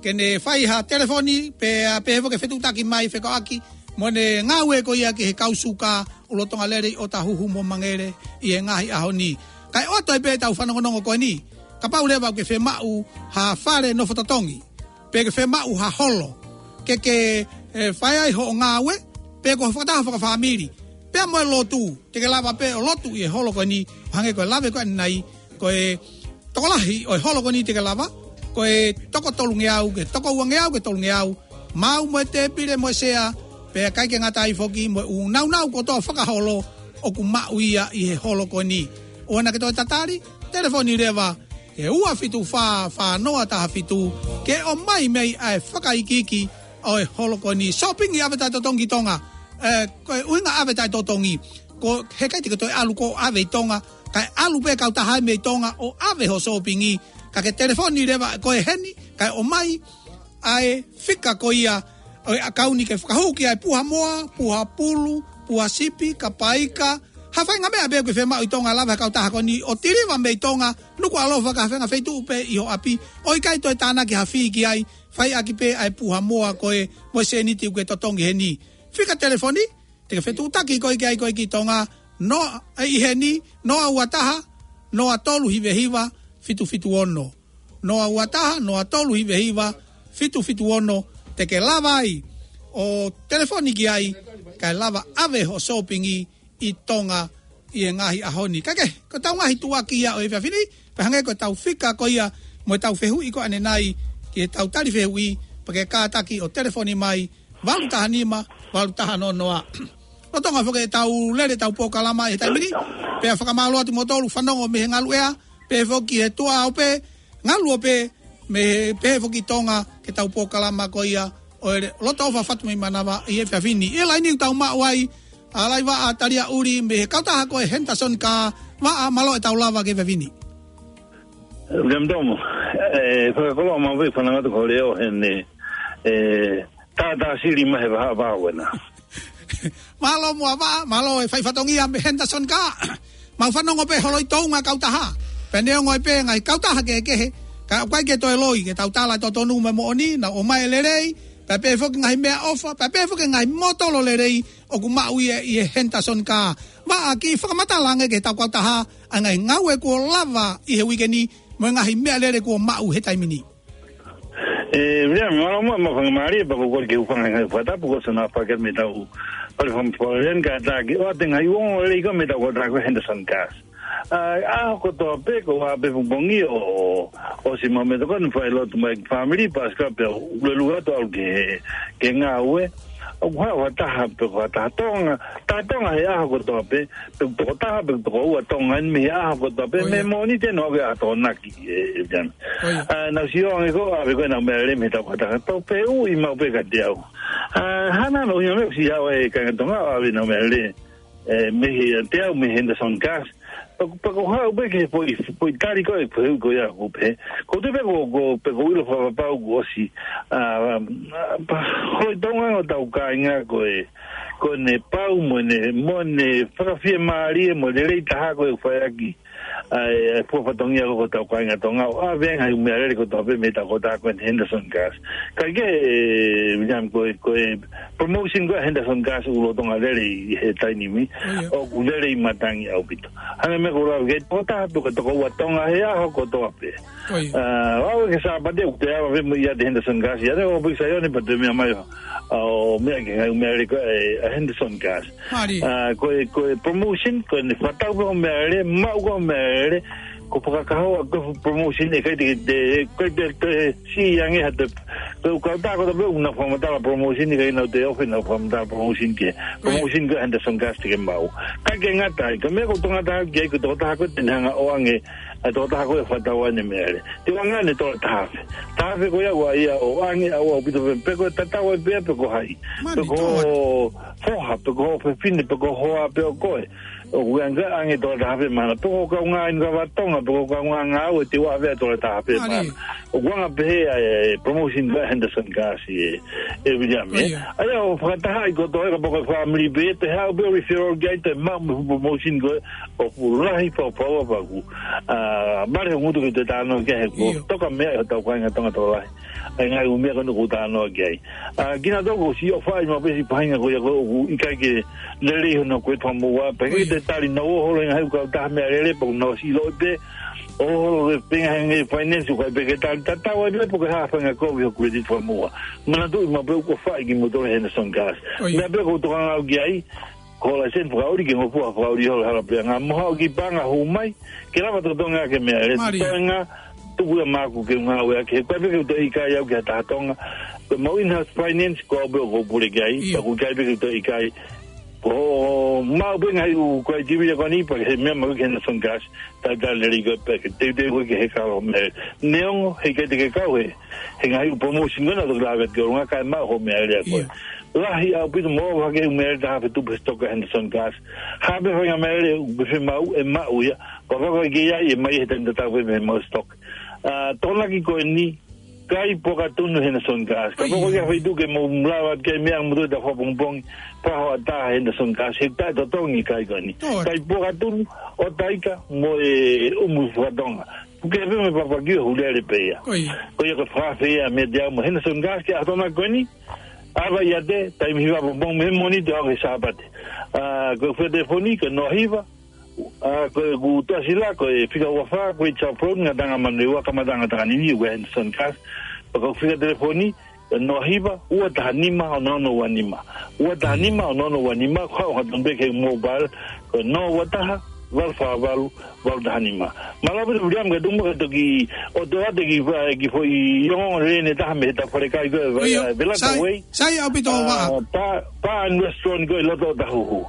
ke ne fai ha telefoni, pea, pea pehē foki ke fetuʻutaki mai fekauʻaki mo ʻene ngāue ko ia ki he kau suka, ʻo lolotonga lele ʻi ʻŌtāhuhu mo Mangere ʻi he ngaahi ʻaho ni. Kae ʻoatu ai pē ʻetau fanongonongo ko eni, kapau leva ʻoku ke fiemaʻu ha fale nofo totongi, pe ke fiemaʻu ha holo ke ke, ʻe, fai ai hoʻo ngāue, pe ko ha fakataha fakafāmili, pea mo e lotu, te ke lava pē ʻo lotu ʻi he holo ko eni, hangē ko e lave ko ē ʻanenai, ko e tokolahi ʻo e holo ko eni te ke lava, ko e toko tolungeau, ki he toko uangeau, ki he tolungeau, maʻu mo e tēpile mo e sea, pea ʻikai ke ngata ai foki mo e ʻū nāunau kotoa fakaholo ʻoku maʻu ia ʻi he holo ko eni. ʻOua naʻá ke toe tatali, telefoni leva ki he ua fitu fā, fā noa taha fitu, ke ʻomai mai ʻa e fakaikiiki ʻo e holo ko eni. Sōpingi ʻave taʻetotongi ki Tonga. ʻE, ko e ʻuhinga ʻave taʻetotongi, ko e ʻikai te ke toe ʻalu koe ʻo ʻave ʻi Tonga, kae ʻalu pē kautaha mei Tonga ʻo ʻave hoʻo sōpingi, ka ke telefoni leva ko ē heni, kae ʻomai ʻa e fika ko ia ʻo e ʻakauni ke fakahū ki ai e puha moa, puha pulu, puha sipi, kapaika, ha faʻahinga meʻa pē ʻoku ke fiemaʻu ʻi Tonga, lava ʻe he kautaha ko eni ʻo tilivā mei Tonga, nukuʻalofa ki ha faʻahinga feituʻu pē ʻi ho ʻapi, ʻo ʻikai toe tānaki ha fee ki ai, fai ʻaki pē ʻa e puha moa ko ē mo e sēniti ʻoku ke totongi heni. Fika telefoni te ke fetuʻutaki koe ki ai koe ki Tonga, noa, ʻi heni, noa ua taha, noa tolu hiva hiva, fitu fitu ono. Noa ua taha, noa tolu hiva hiva, fitu fitu ono, te ke lava ai ʻo telefoni ki ai, kae lava ʻave hoʻo sōpingi ʻi Tonga ʻi he ngaahi ʻaho ni. Kae kehe, ko ʻetau ngaahi tuʻuaki ia ʻo e efiafi ni, pea hangē ko ʻetau fika ko ia mo ʻetau fehuʻi ko ē ʻanenai ki heʻetau tali fehuʻi, pea ke kātaki ʻo telefoni mai, valu taha nima, valu taha noa noa. Lolotonga foki ʻetau lele ʻetau polokalama he taimi ni, pea fakamālō atu kimoutolu fanongo mei he ngaluʻea, pehē foki he tuʻa ʻo pē, ngalu ʻo pē, mei he pehē foki Tonga ki heʻetau polokalama ko ia ʻo e Loto ʻOfa Fatu mei Manava ʻi he efiafi ni. ʻI he laini ʻoku tau maʻu ai ʻa Laivaʻa Taliaʻuli mei he kautaha ko e Henderson Car. Vaʻa, mālō ʻetau lava ki he efiafi ni. William Tomo, ʻe, fakakoloa maʻu pē fanangatu ko Leo heni, ʻe, tātā sili mai he vahaʻa vao ena. Mālō muʻa Vaʻa, mālō e fai fatongia mei Henderson Car. Mau fanongo pē holo ʻi Tonga kautaha. Pea neongo ai pē ngaahi kautaha kehekehe, ka ʻoku ʻikai ke toe loi, ke tau tala totonu mo e moʻoni, naʻa nau ʻomai e lelei, pea pehē foki ngaahi meʻaʻofa, pea pehē foki ngaahi motolo lelei ʻoku maʻu ia ʻi he Henderson Car. Vaʻa, kiʻi fakamatala ange ki heʻetau kautaha, ʻa e ngaahi ngāue kuo lava ʻi he uike ni, mo e ngaahi meʻalele kuo maʻu he taimi ni. ʻE, William, mālō muʻa, mo e faingamālie, pea ko e kole ke u fanga ngaahi fakatapu ko ē naʻa faʻa kele mei heʻetau fale fakamolemole, kātaki ʻoatu e ngaahi ongoongolelei ko ē mei heʻetau kautaha ko e Henderson Cars. ʻA, ʻaho kotoa pē ko ē ʻa e pongipongi ʻo, ʻosi maʻu mei he tokoni, fai lotu mai ki he fāmili, pasikala pea u lue lue atu ʻo ʻalu ki he, ki he ngāue. ʻOku haʻu ha taha pe ko ha taha Tonga, taha Tonga he ʻaho kotoa pē, pe ko e tokotaha pe ko e tokoua Tonga eni mei he ʻaho kotoa pē, ʻIo. mei he Mōnite ʻo aʻu ki he Akonaki, ē, ē, Viliami. ʻIo. ʻA, naʻá ku sio ange ko ē, ʻave ko ē ʻenau meʻalele mei he taʻu ko ē taha, tau fehuʻi maʻu pē kiate au. ʻA, hangē naʻe ʻuhinga mai ʻoku ʻi ai e kāinga Tonga ʻo ʻave ʻenau meʻalele, ē, mei he, kiate au mei he Henderson Gas. Pe ko, pe ko e haʻu pē ki he foʻi, foʻi tali ko ē, foʻi ko ia ʻoku pehē. Ko e tui pē ko, ko, pe ko e ʻilo fakapapau kuo ʻosi. ʻA, ʻa, pea ko e tokanga ʻa hotau kāinga ko ē, ko ʻene pau mo ʻene, mo ʻene fakafiemālie mo e lelei taha ko ē ʻoku fai ʻaki ʻa e, ʻa e fua fatongia ko ē ʻa hotau kāinga Tonga ʻo ʻave ange ʻa e meʻalele kotoa pē mei he taʻu ko ē taha ko ē Henderson Gas. Kae kehe, ē, Viliami, ko e, ko e promotion ko ē ʻa Henderson Gas ʻoku lolotonga lele ʻi he taimi ni, ʻIo. ʻoku lele ʻi matangi ʻaupito. Hangē ko e meʻa ko ē ʻoku lave ki ai, tokotaha pe ko e tokoua Tonga he ʻaho kotoa pē. ʻIo. ʻA, ʻo aʻu ki he Sāpate ʻoku te ava pē mo ia ʻi he Henderson Gas, ʻi ai ʻa e ʻofa ʻi Saione pea toe meʻa mai ʻo, ʻo meʻa ki he ngaahi meʻalele ko ē ʻa Henderson Gas. Mālie. ʻA, ko e, ko e promotion, ko ʻene fakatau pē hoʻo meʻalele, maʻu ko ē hoʻo meʻalele, ko e fakakahoa ko ē e promotion, ʻe ʻikai te, te, ʻikai te, te siʻi ange ha te, ko e kautaha kotoa pē ʻoku nau fakamatala promotion, ʻikai ke nau toe ʻofa ʻenau fakamatala promotion ki he, Right. promotion ko ē ʻa Henderson Gas te ke maʻu. Kae kehe ngata ai, ko e meʻa ʻoku ou tokanga atu ki ai, ko e tokotaha ko ē te ne hanga ʻo ʻoange ʻa e tokotaha ko ē ʻoku fakatau ai ʻene meʻalele. Te u ʻoange ʻa e tokotaha taha afe. Taha afe ko ia ʻoku ʻi ai ʻa e ʻoange, ʻa e ʻoange ʻaupito pē, pe ko e tatau ai pē pe ko hai. Mālie, Pe ko hoʻo foha, pe ko hoʻo fefine, pe ko e hoa pē ʻo koe. ʻOku ʻi ai ʻa e ʻoange ʻe taha afe mahalo. Pe ko e kaungā inu kava Tonga, pe ko e kaungā ngāue, te u ʻave ʻa e tokotaha taha afe Mālie. mahalo. ʻOku ʻoange pē ʻa e, ʻa e promotion ko ē ʻa Henderson Gas ē, ʻe Viliami, ē. ʻIo. ʻA ia ʻoku fakatahaʻi kotoa ē kapau ko e family pē, te haʻu pē ʻo referral ki ai, te maʻu mo e promotion ko ē, ʻoku lahi fau fau ʻa paku. ʻA, mālie hoʻo ngutu ke u toe talanoa ki ai he kuo ʻIo. toka meʻa ʻi hotau kāinga Tonga tokolahi. ʻA e ngaahi ʻū meʻa ko eni ʻoku ou talanoa ki ai. ʻA, kinautolu kuo ʻosi ʻofaʻi maʻu pē siʻi faʻahinga ko ia ko ē ʻoku ʻikai ke lelei hono kuetu fakamoʻua. Pea ʻIo. ʻikai ke tali, nau ō holo e ngaahi ʻū kautaha meʻalele, pea nau ʻosi ʻilo pē. ʻO holo e penga he ngaahi finance, ʻoku ʻikai pē ke tali, tatau ai pē pe ko e hā e faʻahinga kovi hoʻo kuetu fakamoʻua. Manatuʻi maʻu pē ʻoku ʻofaʻi kimoutolu ʻe Henderson Gas. ʻIo. Meʻa pē ʻoku ou tokanga au ki ai, ko e laiseni fakaʻuli ke ngofua fakaʻuli holo hala pē ngā moha ʻo ki panga hū mai, ke lava totongi ʻaki e meʻalele. Mālie. Totongi, tuku ia maʻaku ke u ngāueʻaki, he ʻoku ʻikai pē ke u toe ʻikai au ki ha taha Tonga. Ko e mau in-house finance, ko au pē ʻoku ou pule ki ai, Io. pea ʻoku ʻikai pē ke u toe ʻikai. Ko e maʻu pē ngaahi ʻū criteria ko eni, pea ke meʻa maʻu ki he Henderson Gas, talitali lelei ko ē pea ke teuteu ko ē ke heka hoʻo meʻalele. Neongo, he ʻikai te ke kau he, he ngaahi ʻū promotion ko ena ʻoku toki lave ki ai ʻolunga kae maʻu hoʻo meʻalele ʻa koe. ʻIo. Lahi ʻaupito mo ʻofa ke ʻū meʻalele taha afe tupu he stock ʻa Henderson Gas. Ha pē faʻahinga meʻalele ʻoku ke fiemaʻu, ʻe maʻu ia. Pea kapau ʻoku ʻikai ke ʻi ai, ʻe ʻomai he taimi tatau pē mei heʻemau stock. ʻA, tokonaki ko eni, kai pokatunu Henderson Gas. Kapau ʻoku ʻi ai ha feituʻu ke mou lava ke meʻa mo toe ta fakapongipongi, pea hoʻatā Henderson Gas, he ʻikai totongi e kai ko eni. Tō. Kai pokatunu, ʻo taika, mo e ʻumu fakatonga. Puke pē mo e papakiu, hulele pē ia. Ko ia. Ko ia ko e fakaafe ia meiate au mo Henderson Gas ki he ʻaho Tokonaki ko eni. ʻAva ʻiate, taimi hiva pongipongi mei he Mōnite ʻo aʻu ki he Sāpate. ʻA, ko e fika telefoni, ko e noa hiva, ʻa, ko ʻeku tuʻasila, ko e fika ua fā, ko e Charles Brown, Ngataʻanga Manurewa, kamataʻanga Takanini, ʻoku ʻi ai e Henderson Gas. Pea ko e fika telefoni, ko e noa hiva, ua taha nima, ono ono ua nima. Ua taha nima, ono ono ua nima, ko e haʻu hangatonu pē ki he mobile, ko e noa ua taha, valu fā valu, valu taha nima. Mālō ʻaupito Viliami, ka tuku muʻa ke toki ʻoatu atu e kiʻi fa-, kiʻi foʻi ongoongo lelei ʻe taha mei he tafaʻaki ko ē, ʻIo, Velata Way. Sai, sai ʻaupito ʻa, Vaʻa. Bar, Bar and Restaurant ko ē ʻi loto Ōtāhuhu.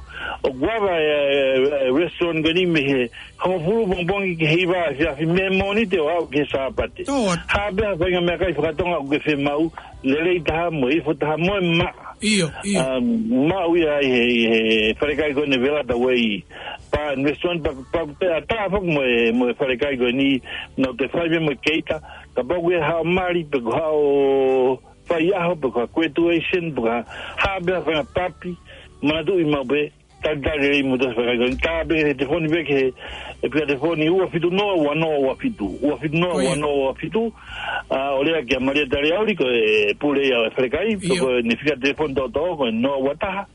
ʻOku ava e, e, e restaurant ko eni mei he hongofulu pongipongi ki he hiva efiafi mei he Mōnite ʻo aʻu ki he Sāpate. Tō atu. Ha pē ha faʻahinga meʻakai fakatonga ʻoku ke fiemaʻu, lelei taha mo e ifo taha mo e maʻa. ʻIo, ʻio. ʻA, maʻu ia ʻi he, ʻi he falekai ko eni Velata Way Bar and Restaurant, pea, pea, pea ʻatā foki mo e, mo e falekai ko eni, nau toe fai pē mo e keita, kapau ʻoku ʻi ai haʻo mali, pe ko haʻo faiʻaho, pe ko ha graduation, pe ko ha, ha pē ha faʻahinga papi, manatuʻi maʻu pē, talitali lelei mo e falekai ko eni, tā pē ki he telefoni pē ki he, e fika telefoni ua fitu noa ua noa ua fitu, ua fitu noa ua noa ua fitu, ʻa, ʻo lea kia Malia Taliauli, ko e pule ia ʻo e falekai, ʻIo. ko ʻene fika telefoni toʻotoʻo, ko e noa ua taha,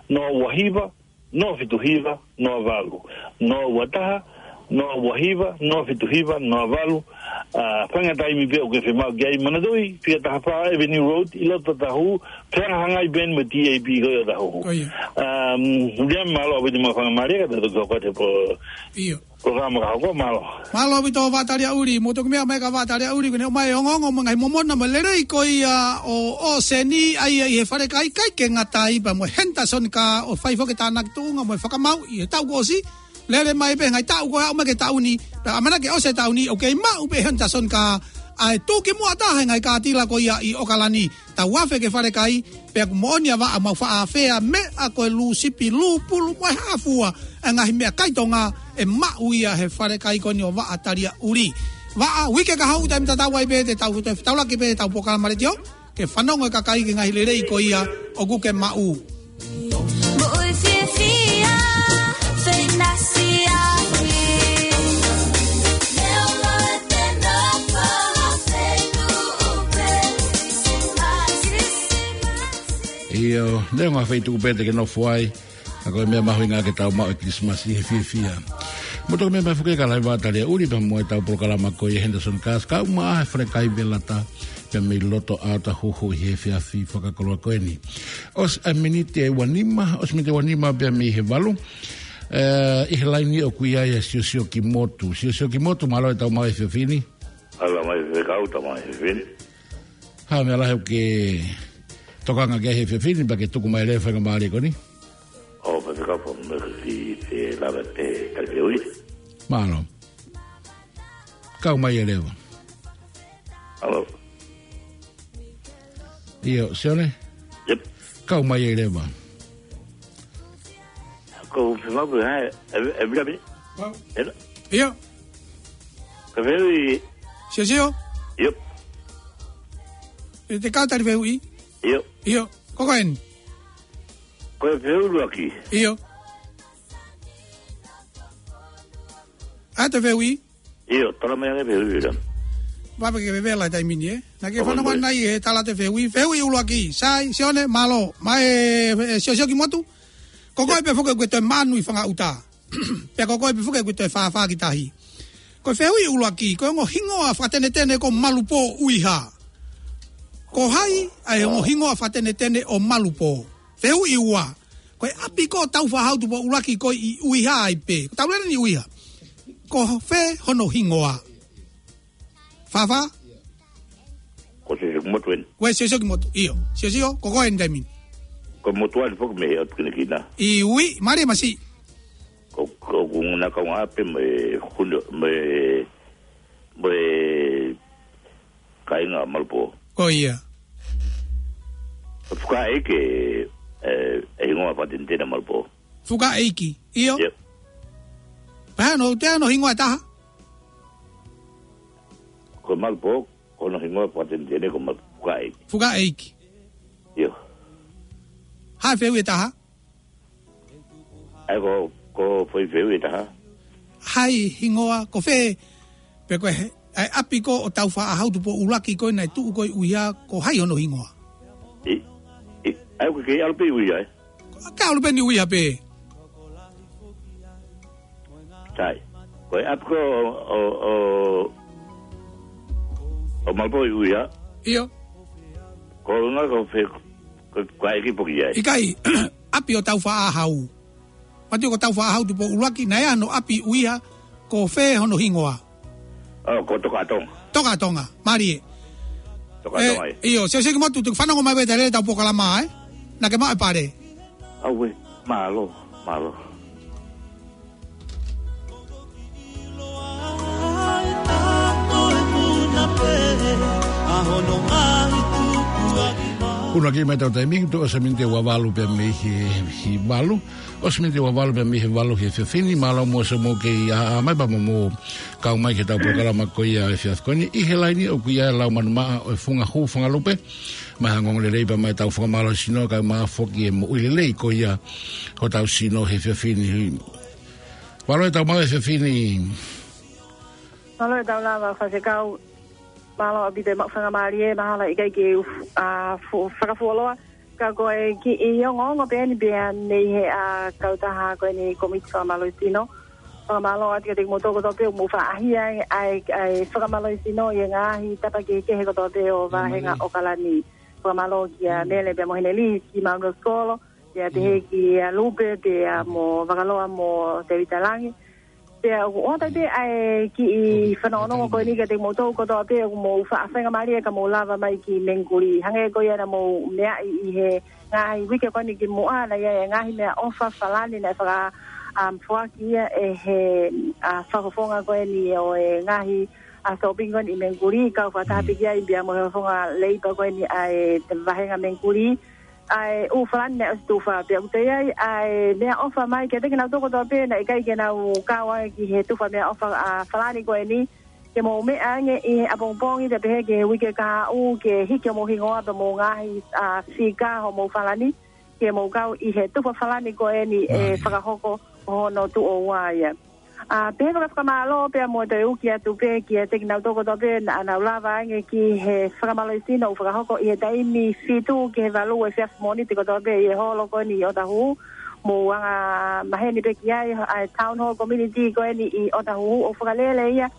noa ua hiva, noa fitu hiva, noa valu. Noa ua taha, noa ua hiva, noa fitu hiva, noa valu. ʻA, faʻahinga taimi pē ʻoku ke fiemaʻu ki ai, manatuʻi, fika taha fā Avenue Road, ʻi loto Ōtāhuhu, fehangahangai pē eni mo e T A P ko ē ʻi Ōtāhuhu. ʻIo. ʻA, Viliami, mālō ʻaupito mo e faingamālie, ka te u toki hoko atu he pō. ʻIo. Ko ka maka ko mālō. Mālō ʻaupito Vaʻa Taliaʻuli, mou toki meʻa mai kia Vaʻa Taliaʻuli, ko ʻene ʻomai e ongoongo mo e ngaahi momona mo e lelei ko ia ʻo, ʻo ʻOseni, ʻa ia ʻi he falekai, ʻikai ke ngata ai pea mo Henderson Kaa ʻo fai foki e tānaki tuʻunga mo e fakamau ʻi he taʻu kuo ʻosi, lele mai pē ngaahi taʻu ko ē ʻo aʻu mai ki he taʻu ni, pea ʻamanaki ke ʻosi e taʻu ni, ʻoku kei maʻu pē Henderson Kaa, ʻa e tuʻu ki muʻa taha e ngaahi kātila ko ia ʻi ʻOkalani, tau afe ki he falekai, pea ʻoku moʻoni ʻa Vaʻa, mau faʻa afea meʻa ko e lūsipi, lūpulu mo e hā fua, ʻa e ngaahi meʻakai Tonga ʻe maʻu ia he falekai ko eni ʻo Vaʻa Taliaʻuli. Vaʻa, uike kahaʻu, taimi tatau ai pē te tau, te tau laki pē ʻetau polokalama letiō, ke fanongo e kakai ki he ngaahi lelei ko ia ʻoku ke maʻu. Moʻui fiefia, feinasiafi. ʻIo, neongo ha feituʻu pē te ke nofo ai, ka ko e meʻa mahuʻinga ke tau maʻu e Kilisimasi he fiefia. Mou toki meʻa mai foki kia Vaʻa Taliaʻuli pea mo ʻetau polokalama ko ia Henderson Kaa, kau mai he falekai Velata, pea mei loto ʻa Ōtāhuhu ʻi he efiafi fakakoloa ko eni. ʻOsi ʻa e miniti ʻe ua nima, ʻosi miniti ʻe ua nima pea mei he valu. ʻE, ʻi he laini ʻoku ʻi ai ʻa Siosio Kimotu. Siosio Kimotu, mālō e tau maʻu e efiafi ni. Mālō mai Faifekau, tau maʻu e efiafi ni. Hā e meʻa lahi ʻoku ke tokanga ki ai he efiafi ni, pea ke tuku mai e lea faingamālie ko eni? ʻO Faifekau, pea mo e efiafi ni, lava e tali fehuʻi. Mālō. Kau mai e leva. Hello. ʻIo, Sione? Yep. Kau mai e leva. Ko Faifekau, ʻe, ʻe, ʻe, ʻe, ʻe, ʻio. Ka fehuʻi. Siosio? Yep. ʻE te kau tali fehuʻi? ʻIo. ʻIo. Ko koe eni. Ko e fehuʻi ʻuluaki. ʻIo. ʻA e fehuʻi? ʻIo, tala mai ange fehuʻi ʻuluaki. Pea ke vevela taimi ni, ē? Naʻa ke fanongo mai ʻi he tala e fehuʻi. Fehuʻi ʻuluaki. Sai, Sione, mālō. Mai, ē, Siosio Kimotu. Ko koe pē foki ʻoku ke toe manu ʻi Fangaʻuta. Pea ko koe pē foki ʻoku ke toe fāfā ki tahi. Ko e fehuʻi ʻuluaki, ko e ongo hingoa fakatenetene ko Malupō ʻUiha. Ko hai ʻa e ongo hingoa fakatenetene ʻo Malupō? Fehuʻi ua. Ko e ʻapi ko ē ʻo Taufaʻāhau Tupou ʻUluaki ko ē ʻi ʻUiha ai pē. Ko e tau lele ni ʻUiha. Ko fē hono hingoa? Fāfā? Ko Siosio Kimotu eni. Ko e Siosio Kimotu. ʻIo. Siosio, ko koe eni taimi ni. Ko e motuʻa eni foki mei he ʻotu kinakina. ʻIo, mālie masiʻi. Ko, ko, ko nguna kau ngā pē mo e hunu, mo e, mo e kāinga Malupō. Ko ia. Fukaʻeiki, ē, ʻe hingoa fakatenetene Malupō. Fukaʻeiki, ʻio. Yep. Pea ʻoku ʻi ai hono hingoa ʻe taha? Ko Malupō, ko hono hingoa fakatenetene ko Mal-, Fukaʻeiki. Fukaʻeiki. ʻIo. Hā e fehuʻi ʻe taha? ʻAi ko, ko e foʻi fehuʻi ʻe taha. Hai hingoa, ko fē, pe ko e he, ʻa e ʻapi ko ē ʻo Taufaʻāhau Tupou ʻUluaki ko ē naʻe tuʻu ko ē ʻi ʻUiha, ko hai hono hingoa? ʻI, ʻi, ʻai ko e kei ʻalu pē ʻi ʻUiha, ē? Ko e kei ʻalu pē ni ʻi ʻUiha pē. Sai. Ko e ʻapi ko ē ʻo, ʻo, ʻo Malupō ʻi ʻUiha. ʻIo. Ko e ngā ko fē, ko, ko e ʻeiki foki ai. ʻIkai, ʻapi ʻo Taufaʻāhau. Mati ko Taufaʻāhau Tupou ʻUluaki, naʻe ʻi ai hono ʻapi ʻi ʻUiha, ko fē hono hingoa? ʻO, ko Tokaʻatonga. Tokaʻatonga, mālie. Tokaʻatonga, ē, ē. ʻIo, Siosio Kimotu, tuku fanongo mai pē ʻetau lele ʻetau polokalama, ē? Naʻa ke maʻu e pale. ʻAuē, mālō, mālō. Kuo ʻosi mai ʻetau taimi, tuʻo ʻosi miniti ʻe ua valu pea mei he, he valu. ʻOsi miniti ʻe ua valu pea mei he valu he efiafi ni, mālō muʻa siʻomou kei ʻā, ʻā mai pea mo mou kau mai ki heʻetau polokalama ko ia he efiafi ko eni. ʻI he laini ʻoku ʻi ai ʻa Lau Manumaʻa ʻo e Funga Hū Fangalupe. Mai ha ongoongo lelei pea mai ʻetau fakamālohisino, kae ʻumaʻā foki e moʻui lelei ko ia hotau sino he efiafi ni. Mālō e tau maʻu he efiafi ni. Mālō e tau lava Faifekau. Mālō ʻaupito e maʻu faingamālie, mahalo ʻikai ke u f-, ʻa, fu-, fakafuoloa. Ka ko e kiʻi ongoongo pē eni pea mei he, ʻa, kautaha ko eni Kōmiti Fakamālohisino. Fakamālō atu kiate kimoutolu kotoa pē ʻoku mou faʻa ʻaʻahi ai, ʻa e, ʻa e fakamālohisino ʻi he ngaahi tapa kehekehe kotoa pē ʻo vāhenga ʻOkalani. Fakamālō kia Mele pea mo Heneli, ki Maunga Skolo, pea pehē kia Lupe, pea mo Vakaloa mo Tevita Langi. Pea ʻoku ʻoatu pē ʻa e kiʻi fanongonongo ko eni kiate kimoutolu kotoa pē ʻoku mou faʻa faingamālie ka mou lava mai ki Mengikuli. Hangē ko ia naʻa mou meaʻi ʻi he ngaahi uike ko eni kimuʻa, naʻe ʻi ai e ngaahi meʻaʻofa falani naʻe faka, um, foaki ia ʻe he, ʻa, fakafofonga ko eni ʻo e ngaahi, ʻa, shopping ko eni ʻi Mengikuli, kau fakataha pē ki ai pea mo e fakafofonga leipa ko eni ʻa e vāhenga Mengikuli. ʻA e ʻū falani naʻe ʻosi tufa pea ʻoku toe ʻi ai ʻa e meʻaʻofa mai kiate kinautolu kotoa pē naʻe ʻikai ke nau kau ai ki he tufa meʻaʻofa, ʻa, falani ko eni, ke mou meʻa ange ʻi he ʻapongipongi pea pehē ki he uike kahaʻu ke hiki homou hingoa pea mo e ngaahi, ʻa, fika homou falani, ke mou kau ʻi he tufa falani ko eni ʻe fakahoko hono tuʻo ua ia. ʻA, pehē fakafakamālō pea mo e toe uki atu pē kiate kinautolu kotoa pē naʻa nau lava ange ki he fakamālohisino ʻoku fakahoko ʻi he taimi fitu ki he valu efiafi Mōnite kotoa pē ʻi he holo ko eni ʻi ʻOtahuhu. Mou anga maheni pē ki ai, ʻa e Town Hall Community ko eni ʻi ʻOtahuhu, ʻoku fakalele ia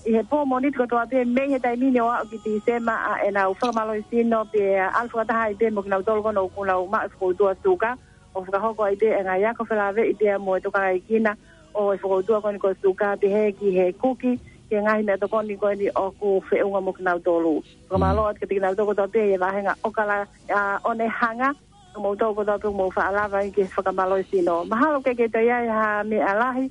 ʻi he pō Mōnite kotoa pē mei he taimi ni ʻo aʻu ki Tīsema ʻa ʻenau fakamālohisino pea ʻalu fakataha ai pē mo kinautolu ko ena ʻoku nau maʻu e fokoutua suka. ʻOku fakahoko ai pē e ngaahi ako felāveʻi pea mo e tokangaekina ʻo e fokoutua ko eni ko e suka, pehē ki he kuki, ki he ngaahi meʻatokoni ko eni ʻoku feʻunga mo kinautolu. Fakamālō atu kiate kinautolu kotoa pē ʻi he vāhenga ʻOkala, ʻa, Onehunga, kimoutolu kotoa pē ʻoku mou faʻa lava ai ki he fakamālohisino. Mahalo ʻoku ʻikai ke toe ʻi ai ha meʻa lahi,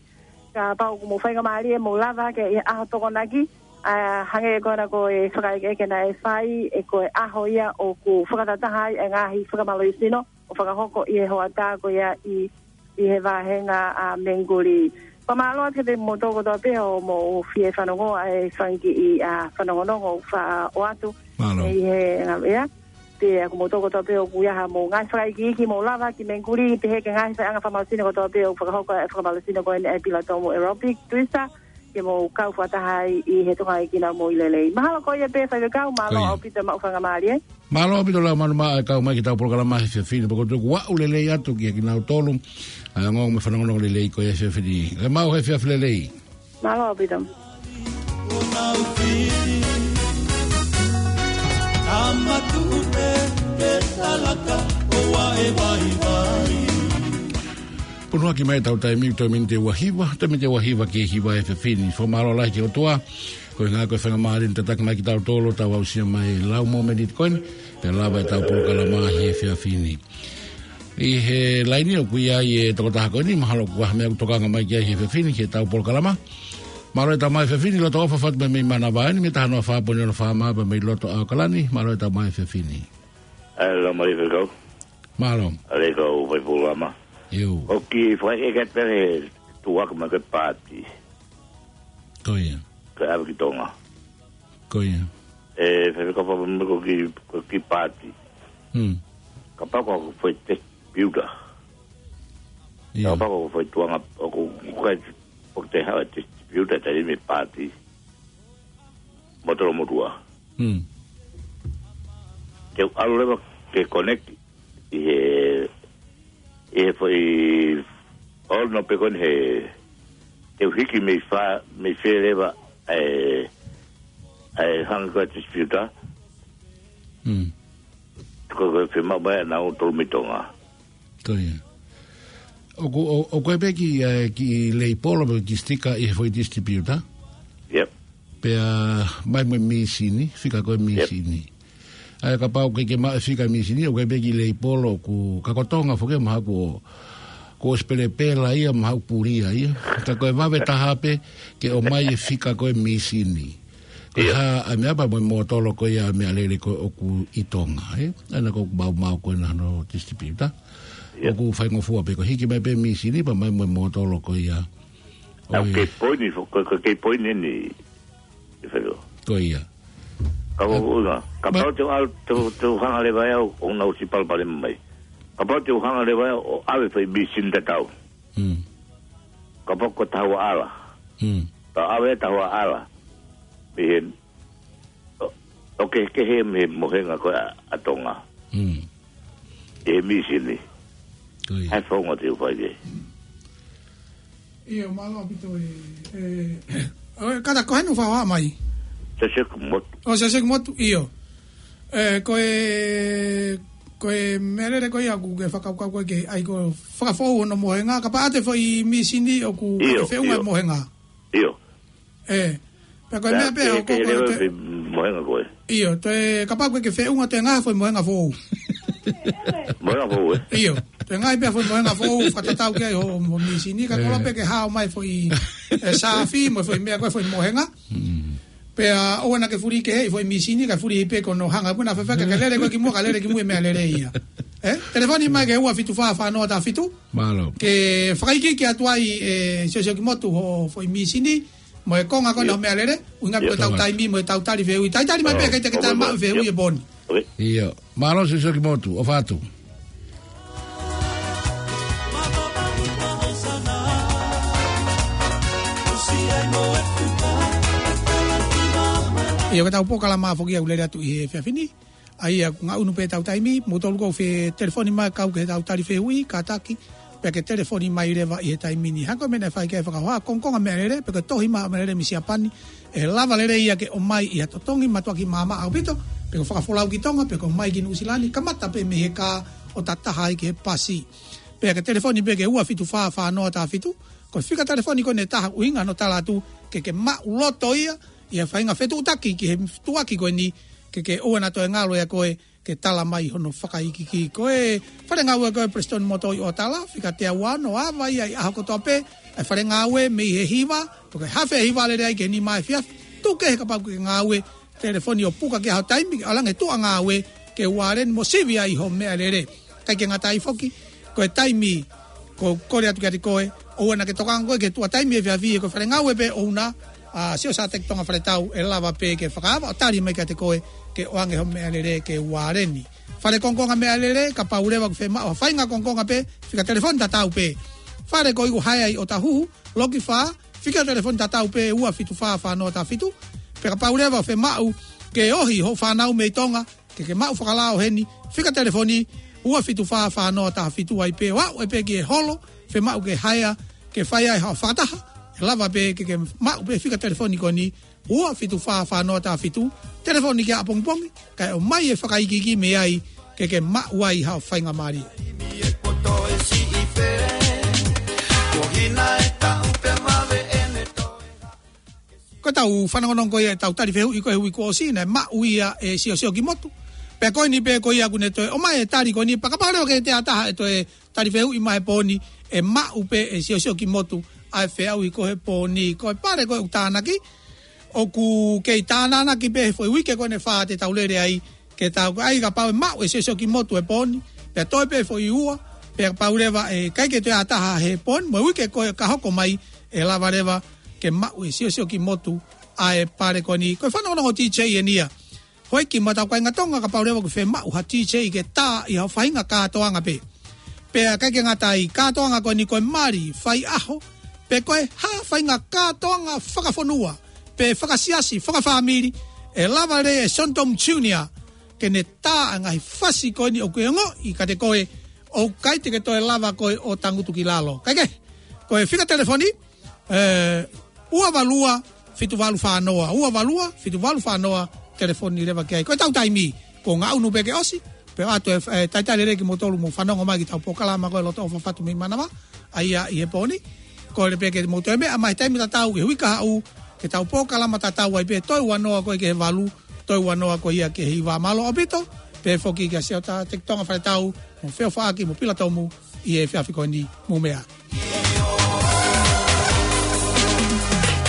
kapau ʻoku mou faingamālie mou lava hake ʻi he ʻaho Tokonaki, ʻa, hangē ko ena ko e fakaʻekeʻeke naʻe fai, ʻe ko e ʻaho ia ʻoku fakatataha ai e ngaahi fakamālohisino ʻo fakahoko ʻi he hoʻatā ko ia ʻi, ʻi he vāhenga ʻa Mengikuli. Fakamālō atu kiate kimoutolu kotoa pē hoʻomou fie fanongo ʻa e fanga kiʻi, ʻa, fanongonongo ʻoku faʻa ʻoatu ʻi he ngaahi ʻea. Pea ko kimoutolu kotoa pē ʻoku ʻi ai haʻamou ngaahi fakaikiiki mou lava ki Mengikuli, pehē ki he ngaahi faiʻanga fakamālohisino kotoa pē ʻoku fakahoko e fakamālohisino ko eni ʻa e Pilatomu Aerobic, Tuisa, ke mou kau fakataha ai ʻi he tokangaekina ʻo mou ʻi lelei. Mahalo ko ia pē faifekau, mālō ʻaupito e maʻu faingamālie. Mālō ʻaupito Laumanu Maʻa e kau mai ki heʻetau polokalama he efiafi ni, pea ʻoku ou tui kuo aʻu lelei atu kiate kinautolu ʻa e ongoongo mo e fanongonongo lelei ko ia he efiafi ni. Ke maʻu ha efiafi lelei. Mālō ʻaupito. Punuaki mai ʻetau taimi, toe miniti ʻe ua hiva, toe miniti ʻe ua hiva ki he hiva he efiafi ni. Fakamālō lahi ki he ʻOtua koeʻuhi ko e faingamālie ne tataki mai kitautolu ʻo tau aʻusia mai e lau mōmeniti ko eni, pea lava ʻetau polokalama he efiafi ni. ʻI he laini ʻoku ʻi ai e tokotaha ko eni, mahalo kuo ʻi ai ha meʻa ʻoku tokanga mai ki ai he efiafi ni ki heʻetau polokalama. Mālō e tama he efiafi ni, loto ʻofa atu mei Manavahē ni, mei he taha noa fā poini ono FM pea mei loto ʻAokalani, mālō e tama he efiafi ni. ʻAi, lau mai faifekau. Mālō. ʻAi, kau faifekau Lama. ʻIo. ʻOku ou fakaʻeke atu pē he tuʻu hake mai ko e paati. Ko ia. Ko e ʻave ki Tonga. Ko ia. ʻE, faifekau, fakamolemole, ko e kiʻi, ko e kiʻi paati. Hmm. Kapau ko e foʻi test piuta. ʻIo. Kapau ko e foʻi tuʻunga, ʻoku, ʻoku ʻikai, ʻoku te haʻu e test piuta taimi e paati. Motoro motuʻa. Hmm. Te u ʻalu leva ke connect ʻi he, ʻi he foʻi, ʻo no pe ko eni he, te u hiki mei fē, mei fē leva e, e hanga ko e test piuta. Hmm. Ko e, ko e fiemaʻu mai ʻa nautolu mei Tonga. Ko ia. ʻOku, ʻo, ʻoku ʻi ai pē kiʻi, e, kiʻi leipolo pe kiʻi sitika ʻi he foʻi test piuta. Yep. Pea mai mo e mīsini, fika ko e mīsini. ʻA ia kapau ʻoku ʻikai ke maʻu e fika mīsini, ʻoku ʻi ai pē kiʻi leipolo ʻoku, ka ko Tonga foki mahalo kuo, kuo ʻosi pelepela ia, mahalo pulia ia. Ka ko e vave taha pē ke ʻomai e fika ko e mīsini. Ko e hā ʻa e meʻa pea mo e mōtolo ko ia ʻa e meʻalele ko ē ʻoku ʻi Tonga, ē? ʻA ia ko e maumau ko ena hono test piuta. ʻOku faingofua pē ko e hiki mai pē mīsini pea mai mo e mōtolo ko ia. ʻOku kei poini, ko, ko e kei poini eni. Ko ia. Kapau te u ʻalu, te u, te u hanga leva au, ʻo nau ʻosi palopalema mai. Kapau te u hanga leva au ʻo ʻave foʻi mīsini tatau. Hmm. Kapau ko e taha ua ʻala. Hmm. Tau ʻave e taha ua ʻala. Mei he, ʻo, ʻo kehekehe mei he mohenga ko ē ʻa, ʻa Tonga. Hmm. ʻI he mīsini. Ko ia. ʻAi, founga te u fai ke. ʻIo, mālō ʻaupito e, e, ʻo, kātaki, ko hai ʻoku fakahoha mai? Siosiua Motu. ʻO, Siosiua Motu, ʻio. E, ko e, ko e meʻalele ko ia ʻoku ke fakakaukau ko ē ke ʻai ko e fakafoʻou hono mohenga, kapau ʻoku ʻi ai e foʻi mīsini ʻoku ʻikai ke feʻunga e mohenga. ʻIo. ʻE, pea ko e meʻa pē ke, ʻoku ke ko e lele ke, pe mohenga ko ē. ʻIo, toe kapau ko e ke feʻunga toe ngaahi foʻi mohenga foʻou. Mohenga foʻou, ē? ʻIo, toe ngaahi pē foʻi mohenga foʻou, fakatatau ki ai ho, ho mīsini, ka kolo pē ke hao mai foʻi, ʻe, saafi, mo foʻi meʻa ko e foʻi mohenga. Pea ʻoua naʻa ke fuli keheʻi foʻi mīsini, ka fuli pē ko hono hanga, puna fefeka, ka lele ko e ki muʻa, ka lele ki muʻa e meʻalele ia. ʻE, telefoni mai ki he ua fitu fā fā noa taha fitu. Mālō. Ke fakaikiiki atu ai, ʻe, Siosiokimotu ho foʻi mīsini, mo e konga ko ena ho meʻalele, ʻuhinga pē ko ʻetau taimi, mo ʻetau tali fehuʻi. Talitali mai pē, ʻikai te ke tā maʻu fehuʻi ʻi he pō ni. ʻIo. Mālō Siosiokimotu, ʻofa atu. ʻIo, ko ʻetau polokalama foki ʻoku lele atu ʻi he efiafi ni. ʻA ia, ʻoku ngaʻunu pē ʻetau taimi, mou tolu ʻoku fie telefoni mai kau ki heʻetau tali fehuʻi, kātaki, pea ke telefoni mai leva ʻi he taimi ni. Hangē ko e meʻa naʻe fai ki ai e fakahoha, kongokonga meʻalele, pe ko e tohi maʻu meʻalele mei Siapani, ʻe lava lelei ia ke ʻomai ʻi ha totongi mātuʻaki maʻamaʻa ʻaupito, pe ko e fakafolau ki Tonga, pe ko e ʻomai ki Nuʻusila ni, kamata pē mei he kā ʻo tataha ai ki he pasi. Pea ke telefoni pē ki he ua fitu fā fā noa taha fitu, ko e fika telefoni ko eni ʻe taha ʻuhinga hono tala atu, ke ke maʻuloto ia, ʻi he faʻahinga fetuʻutaki ki he tuʻuaki ko eni, ke ke ʻoua naʻa toe ngalo ʻia koe, ke tala mai hono fakaikiiki. Ko e fale ngāue ko e Prestone Motor ʻi ʻOtala, fika teau ua ono, ava ia ʻi he ʻaho kotoa pē, ʻa e fale ngāue mei he hiva, pe ko e hafe hiva lele ai ki he nima efiafi, tuku kehe kapau ʻoku ke ngāue, telefoni ʻo puka ki ai ho taimi, ʻalu ange tuʻa ngāue, ke uareni mo sivi ai ho meʻalele. ʻIkai ke ngata ai foki, ko e taimi, ʻoku ou kole atu kiate koe, ʻoua naʻa ke tokanga koe ki he tuʻa taimi efiafi, ko e fale ngāue pē ʻoʻona, ʻa Siosioteki Tonga Faletau, ʻe lava pē ke fakaava ʻo tali mai kiate koe, ke ʻoange ho meʻalele ke uareni. Fale kongokonga meʻalele, kapau leva ʻoku fiemaʻu ha faʻahinga kongokonga pē, fika telefoni tatau pē. Fale ko ē ʻoku haea ʻi ʻŌtāhuhu, Loki Fā, fika telefoni tatau pē ua fitu fā fā noa taha fitu. Pea kapau leva ʻoku fiemaʻu ke ohi hoʻo fānau mei Tonga, ke ke maʻu fakalao heni, fika telefoni ua fitu fā fā noa taha fitu ai pē ʻo aʻu ai pē ki he holo, fiemaʻu ke haea, ke fai ai haʻo fakataha, ʻe lava pē ke ke maʻu pē fika telefoni ko eni, ua fitu fā fā noa taha fitu, telefoni ki ai ʻapongipongi, kae ʻomai e fakaikiiki mei ai, ke ke maʻu ai haʻo faingamālie. Ko ʻetau fanongonongo ko ia ʻetau tali fehuʻi ko e hui kuo ʻosi naʻe maʻu ia ʻe Siosiokimotu. Pea ko eni pē ko ia ʻoku ne toe ʻomai e tali ko eni pea kapau leva ʻoku ʻi ai ha taha ʻe toe tali fehuʻi mai he pō ni ʻe maʻu pē ʻe Siosiokimotu ʻa e feʻauhi ko ē he pō ni. Ko e pale ko ē ʻoku tānaki, ʻoku kei tānanaki pē he foʻi uike ko eni ʻe fā te tau lele ai, ke tau ko ai kapau ʻe maʻu ʻe Siosiokimotu e pō ni, pea toe pē foʻi ua, pea kapau leva ʻe ʻikai ke toe ʻi ai ha taha he pō ni, mo e uike ko ē ka hoko mai ʻe lava leva ke maʻu ʻe Siosiokimotu ʻa e pale ko eni. Ko e fanongonongo D J eni ia. Houʻeiki mo ʻetau kāinga Tonga kapau leva ʻoku fiemaʻu ha D J ke tā ʻi ha faʻahinga kātoanga pē. Pea ʻikai ke ngata ai, kātoanga ko eni ko e mali, faiʻaho, pe ko e hā faʻahinga kātoanga fakafonua, pe fakasiasi, fakafāmili, ʻe lava lelei ʻe Sontom Junior, ke ne tā ʻa e ngaahi fasi ko eni ʻoku ke ongoʻi kiate koe, ʻoku ʻikai te ke toe lava koe ʻo tangutu ki lalo. Kae kehe, ko e fika telefoni, ʻe, ua valu ua, fitu valu fā noa, ua valu ua, fitu valu fā noa, telefoni leva ki ai. Ko ʻetau taimi, kuo ngaʻunu pē ke ʻosi, pea ʻoatu e, ʻe, talitali lelei kimoutolu mou fanongo mai ki heʻetau polokalama ko e Loto ʻOfa Fatu mei Manava, ʻa ia ʻi he pō ni. Kole pē ke mou toe meʻa mai he taimi tatau, ʻi he uike kahaʻu, ke tau polokalama tatau ai pē, toe ua noa ko ē ki he valu, toe ua noa ko ia ki he hiva. Mālō ʻaupito, pehē foki kia Siosioteki Tonga Faletau, mo Feofaʻaki, mo Pilatomu, ʻi he efiafi ko eni, mou meʻa.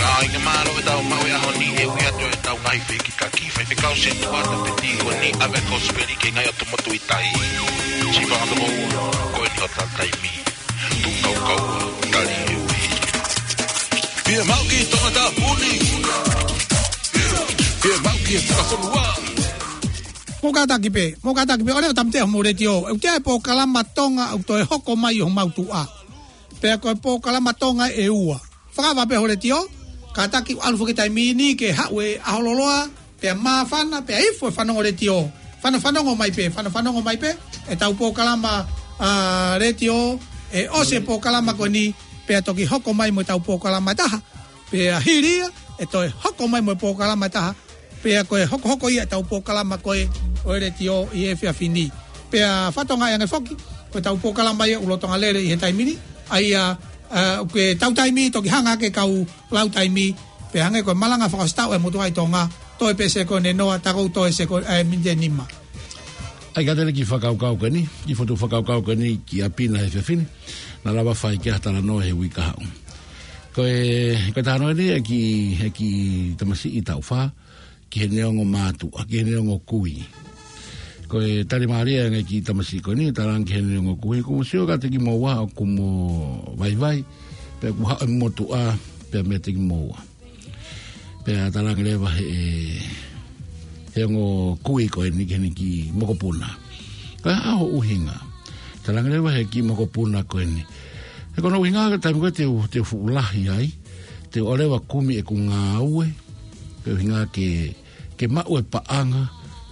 ʻAi ke mālō ʻetau maʻu e ʻaho ni, ʻe ui atu ʻetau ngaahi fekikaki, faifekau setuata pe tīkoni, ʻave kosipeli ki he ngaahi ʻotu motu ʻi tahi. Siva ʻoku toko ua, ko eni hotau taimi. Tuʻu kaukau, tali e ui. Fiemaʻu ki Tongatapu ni. Fiemaʻu ki he fakafonua. Mou kātaki pē, mou kātaki pē, ʻoua ʻe tāmateʻi homou letiō. ʻOku ʻi ai e polokalama Tonga ʻoku toe hoko mai ʻi homau tuʻa. Pea ko e polokalama Tonga ʻe ua. Fakaava pē ho letiō, kātaki ʻalu foki taimi ni ke haʻu e ʻaho lōloa, pea māfana, pea ifo e fanongo letiō. Fana-, fanongo mai pē, fana-, fanongo mai pē, ʻetau polokalama, ʻa, letiō, ʻe ʻosi e polokalama ko eni, pea toki hoko mai mo ʻetau polokalama ʻe taha. Pea hili ia, ʻe toe hoko mai mo e polokalama ʻe taha. Pea ko e hokohoko ia ʻetau polokalama ko ē ʻo e letiō ʻi he efiafi ni. Pea fakatokangaʻi ange foki, ko ʻetau polokalama ia ʻoku lolotonga lele ʻi he taimi ni, ʻa ia ʻA, ʻoku ke tau taimi, toki hanga ke kau lau taimi, pea hangē ko e malanga fakaʻosi tau e motuʻa ʻi Tonga, toe pē sekone noa, tā ʻoku toe sekone, ʻe, miniti ʻe nima. ʻAi ka tele ki he fakakaukau ko eni, ki he fotu fakakaukau ko eni ki ʻapi na he efiafi ni, naʻa lava fai ki ai ha talanoa he uike kahaʻu. Ko e, ko e talanoa ni ʻa e kiʻi, ʻa e kiʻi tamasiʻi taʻu fā, ki he neongo mātuʻa, ki he neongo kui. Ko e tali mālie ange kiʻi tamasiʻi ko eni, talaange ki he neongo kui, kuo mo sio kiate kimoua ʻoku mo vaivai, pea kuo haʻu e motuʻa, pea meiate kimoua. Pea talaange leva he, he ongo kui ko eni ki heni kiʻi mokopuna. Ko e hā hoʻo ʻuhinga? Talaange leva he kiʻi mokopuna ko eni. He ko hono ʻuhinga ko e taimi ko ē te u, te u fuʻu lahi ai, te u ʻalu leva kumi ʻeku ngāue, ko e ʻuhinga ke, ke maʻu e paʻanga,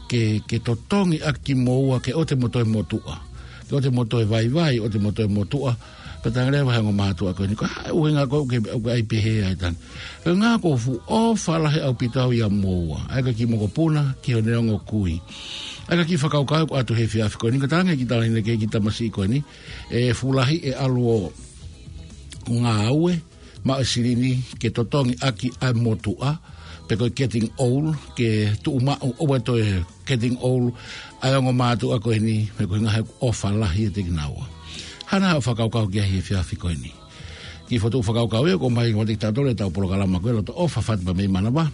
ke, ke totongi ʻaki kimoua, ke ʻoua te mo toe motuʻa. Ke ʻoua te mo toe vaivai, ʻoua te mo toe motuʻa, pea talaange leva he ongo mātuʻa ko eni, ko e hā e ʻuhinga ko ē ʻoku ke, ʻoku ke ʻai pehē ai? Talaange, ko e ʻuhinga kuo fuʻu ʻofa lahi ʻaupito au ʻia moua. ʻA ia ko e kiʻi mokopuna, ki he neongo kui. ʻA ia ko e kiʻi fakakaukau ʻoku ʻatu he efiafi ko eni, ko e talaange kiʻi tala ʻeni ki he kiʻi tamasiʻi ko eni, ʻe fuʻu lahi e ʻalu ʻo ngāue, maʻu e silini ke totongi ʻaki ʻa e motuʻa, pe ko e getting old, ke tuʻu maʻu ʻo toe getting old, ʻa e ongo mātuʻa ko eni, he ko e ʻuhinga he ʻofa lahi ʻiate kinaua. Hā nai haʻo fakakaukau ki ai he efiafi ko eni? Kiʻi fotu fakakaukau ia, ʻoku ʻomai kiate kitautolu ʻe heʻetau polokalama ko e Loto ʻOfa Fatu Pea Mei Manava,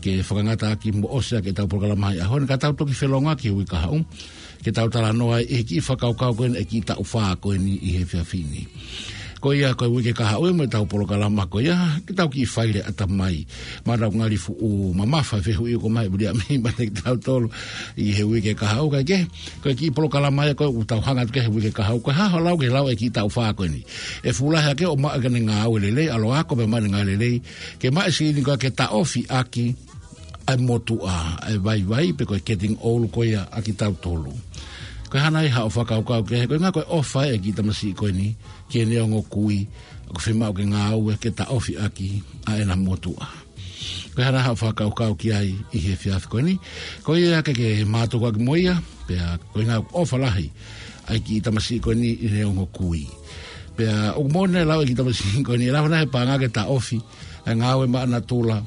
ke fakangata ʻaki mo ʻosi ʻaki ʻetau polokalama ʻi he ʻaho ni, ka tau toki felōngoaki he uike kahaʻu, ke tau talanoa ai ʻi he kiʻi fakakaukau ko eni ʻa e kiʻi taʻu fā ko eni ʻi he efiafi ni. Ko ia ko e uike kahaʻu ia mo ʻetau polokalama ko ia, ke tau kiʻi fai leva ʻatamai. Mahalo ʻoku ngali fuʻu mamafa e fehuʻi ʻoku ʻomai ʻe Viliami meiate kitautolu ʻi he uike kahaʻu, kae kehe, ko e kiʻi polokalama ia ko ē ʻoku tau hanga atu ki ai he uike kahaʻu, ko e hā hoʻo lau ki he lau e kiʻi taʻu fā ko eni? ʻE fuʻu lahi hake ʻo maʻu ʻene ngāue lelei, ʻalu ʻo ako pea maʻu ʻene ngāue lelei, ke maʻu e silini ko ē ke taʻofi ʻaki ʻa e motuʻa, ʻa e vaivai, pe ko e getting old ko ia ʻa kitautolu. Ko e hā nai haʻo fakakaukau ki ai, ko e ʻuhinga ko e ʻofa ʻa e kiʻi tamasiʻi ko eni ki he neongo kui, ʻoku fiemaʻu ke ngāue ke taʻofi ʻaki ʻa ʻena motuʻa. Ko e hā nai haʻo fakakaukau ki ai ʻi he efiafi ko eni? Ko ia ke ke mātuku ʻaki mo ia, pea ko e ʻuhinga ʻofa lahi ʻa e kiʻi tamasiʻi ko eni ʻi he neongo kui. Pea ʻoku moʻoni e lau e kiʻi tamasiʻi ko eni, ʻe lava nai he paʻanga ke taʻofi ʻa e ngāue maʻanatula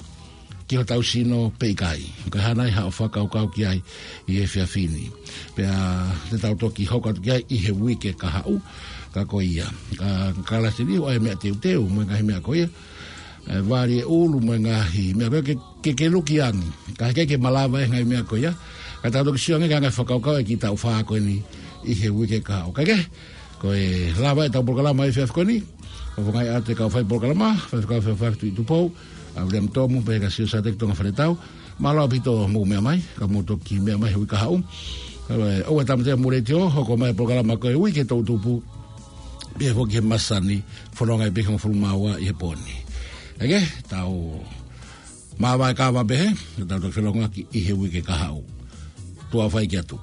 ki hotau sino pe ʻikai? Ko e hā nai haʻo fakakaukau ki ai ʻi he efiafi ni? Pea te tau toki hoko atu ki ai ʻi he uike kahaʻu, ka ko ia. Ka, ka lasi ni ʻoku ʻi ai e meʻa teuteu mo e ngaahi meʻa ko ia, ʻe vali e ʻulu mo e ngaahi meʻa ko ia ke, ke, ke luki ange. Ka heʻikai ke malava e ngaahi meʻa ko ia, ka tau toki sio ange ki he ngaahi fakakaukau e kiʻi taʻu fā ko eni ʻi he uike kahaʻu. Kae kehe, ko e lava ʻetau polokalama he efiafi ko eni, ʻo fakahā atu e kau fai polokalama, Faifekau Fefaʻuhi Tuʻitupou, ʻa Viliami Tomu, pea ka Siosiate Tonga Faletau, mālō ʻaupito hoʻomou meʻa mai, ka mou toki meʻa mai he uike kahaʻu. ʻE, ʻoua ʻe tāmateʻi hoʻomou letiō, hoko mai e polokalama ko e Uike Toʻutupu, pea foki he masani, fononga ʻi he hongofulu mā ua ʻi he pō ni. Kae kehe, tau māvae kava pehē, tau toki felōngoaki ʻi he uike kahaʻu. Tuʻa ʻofa ki atu.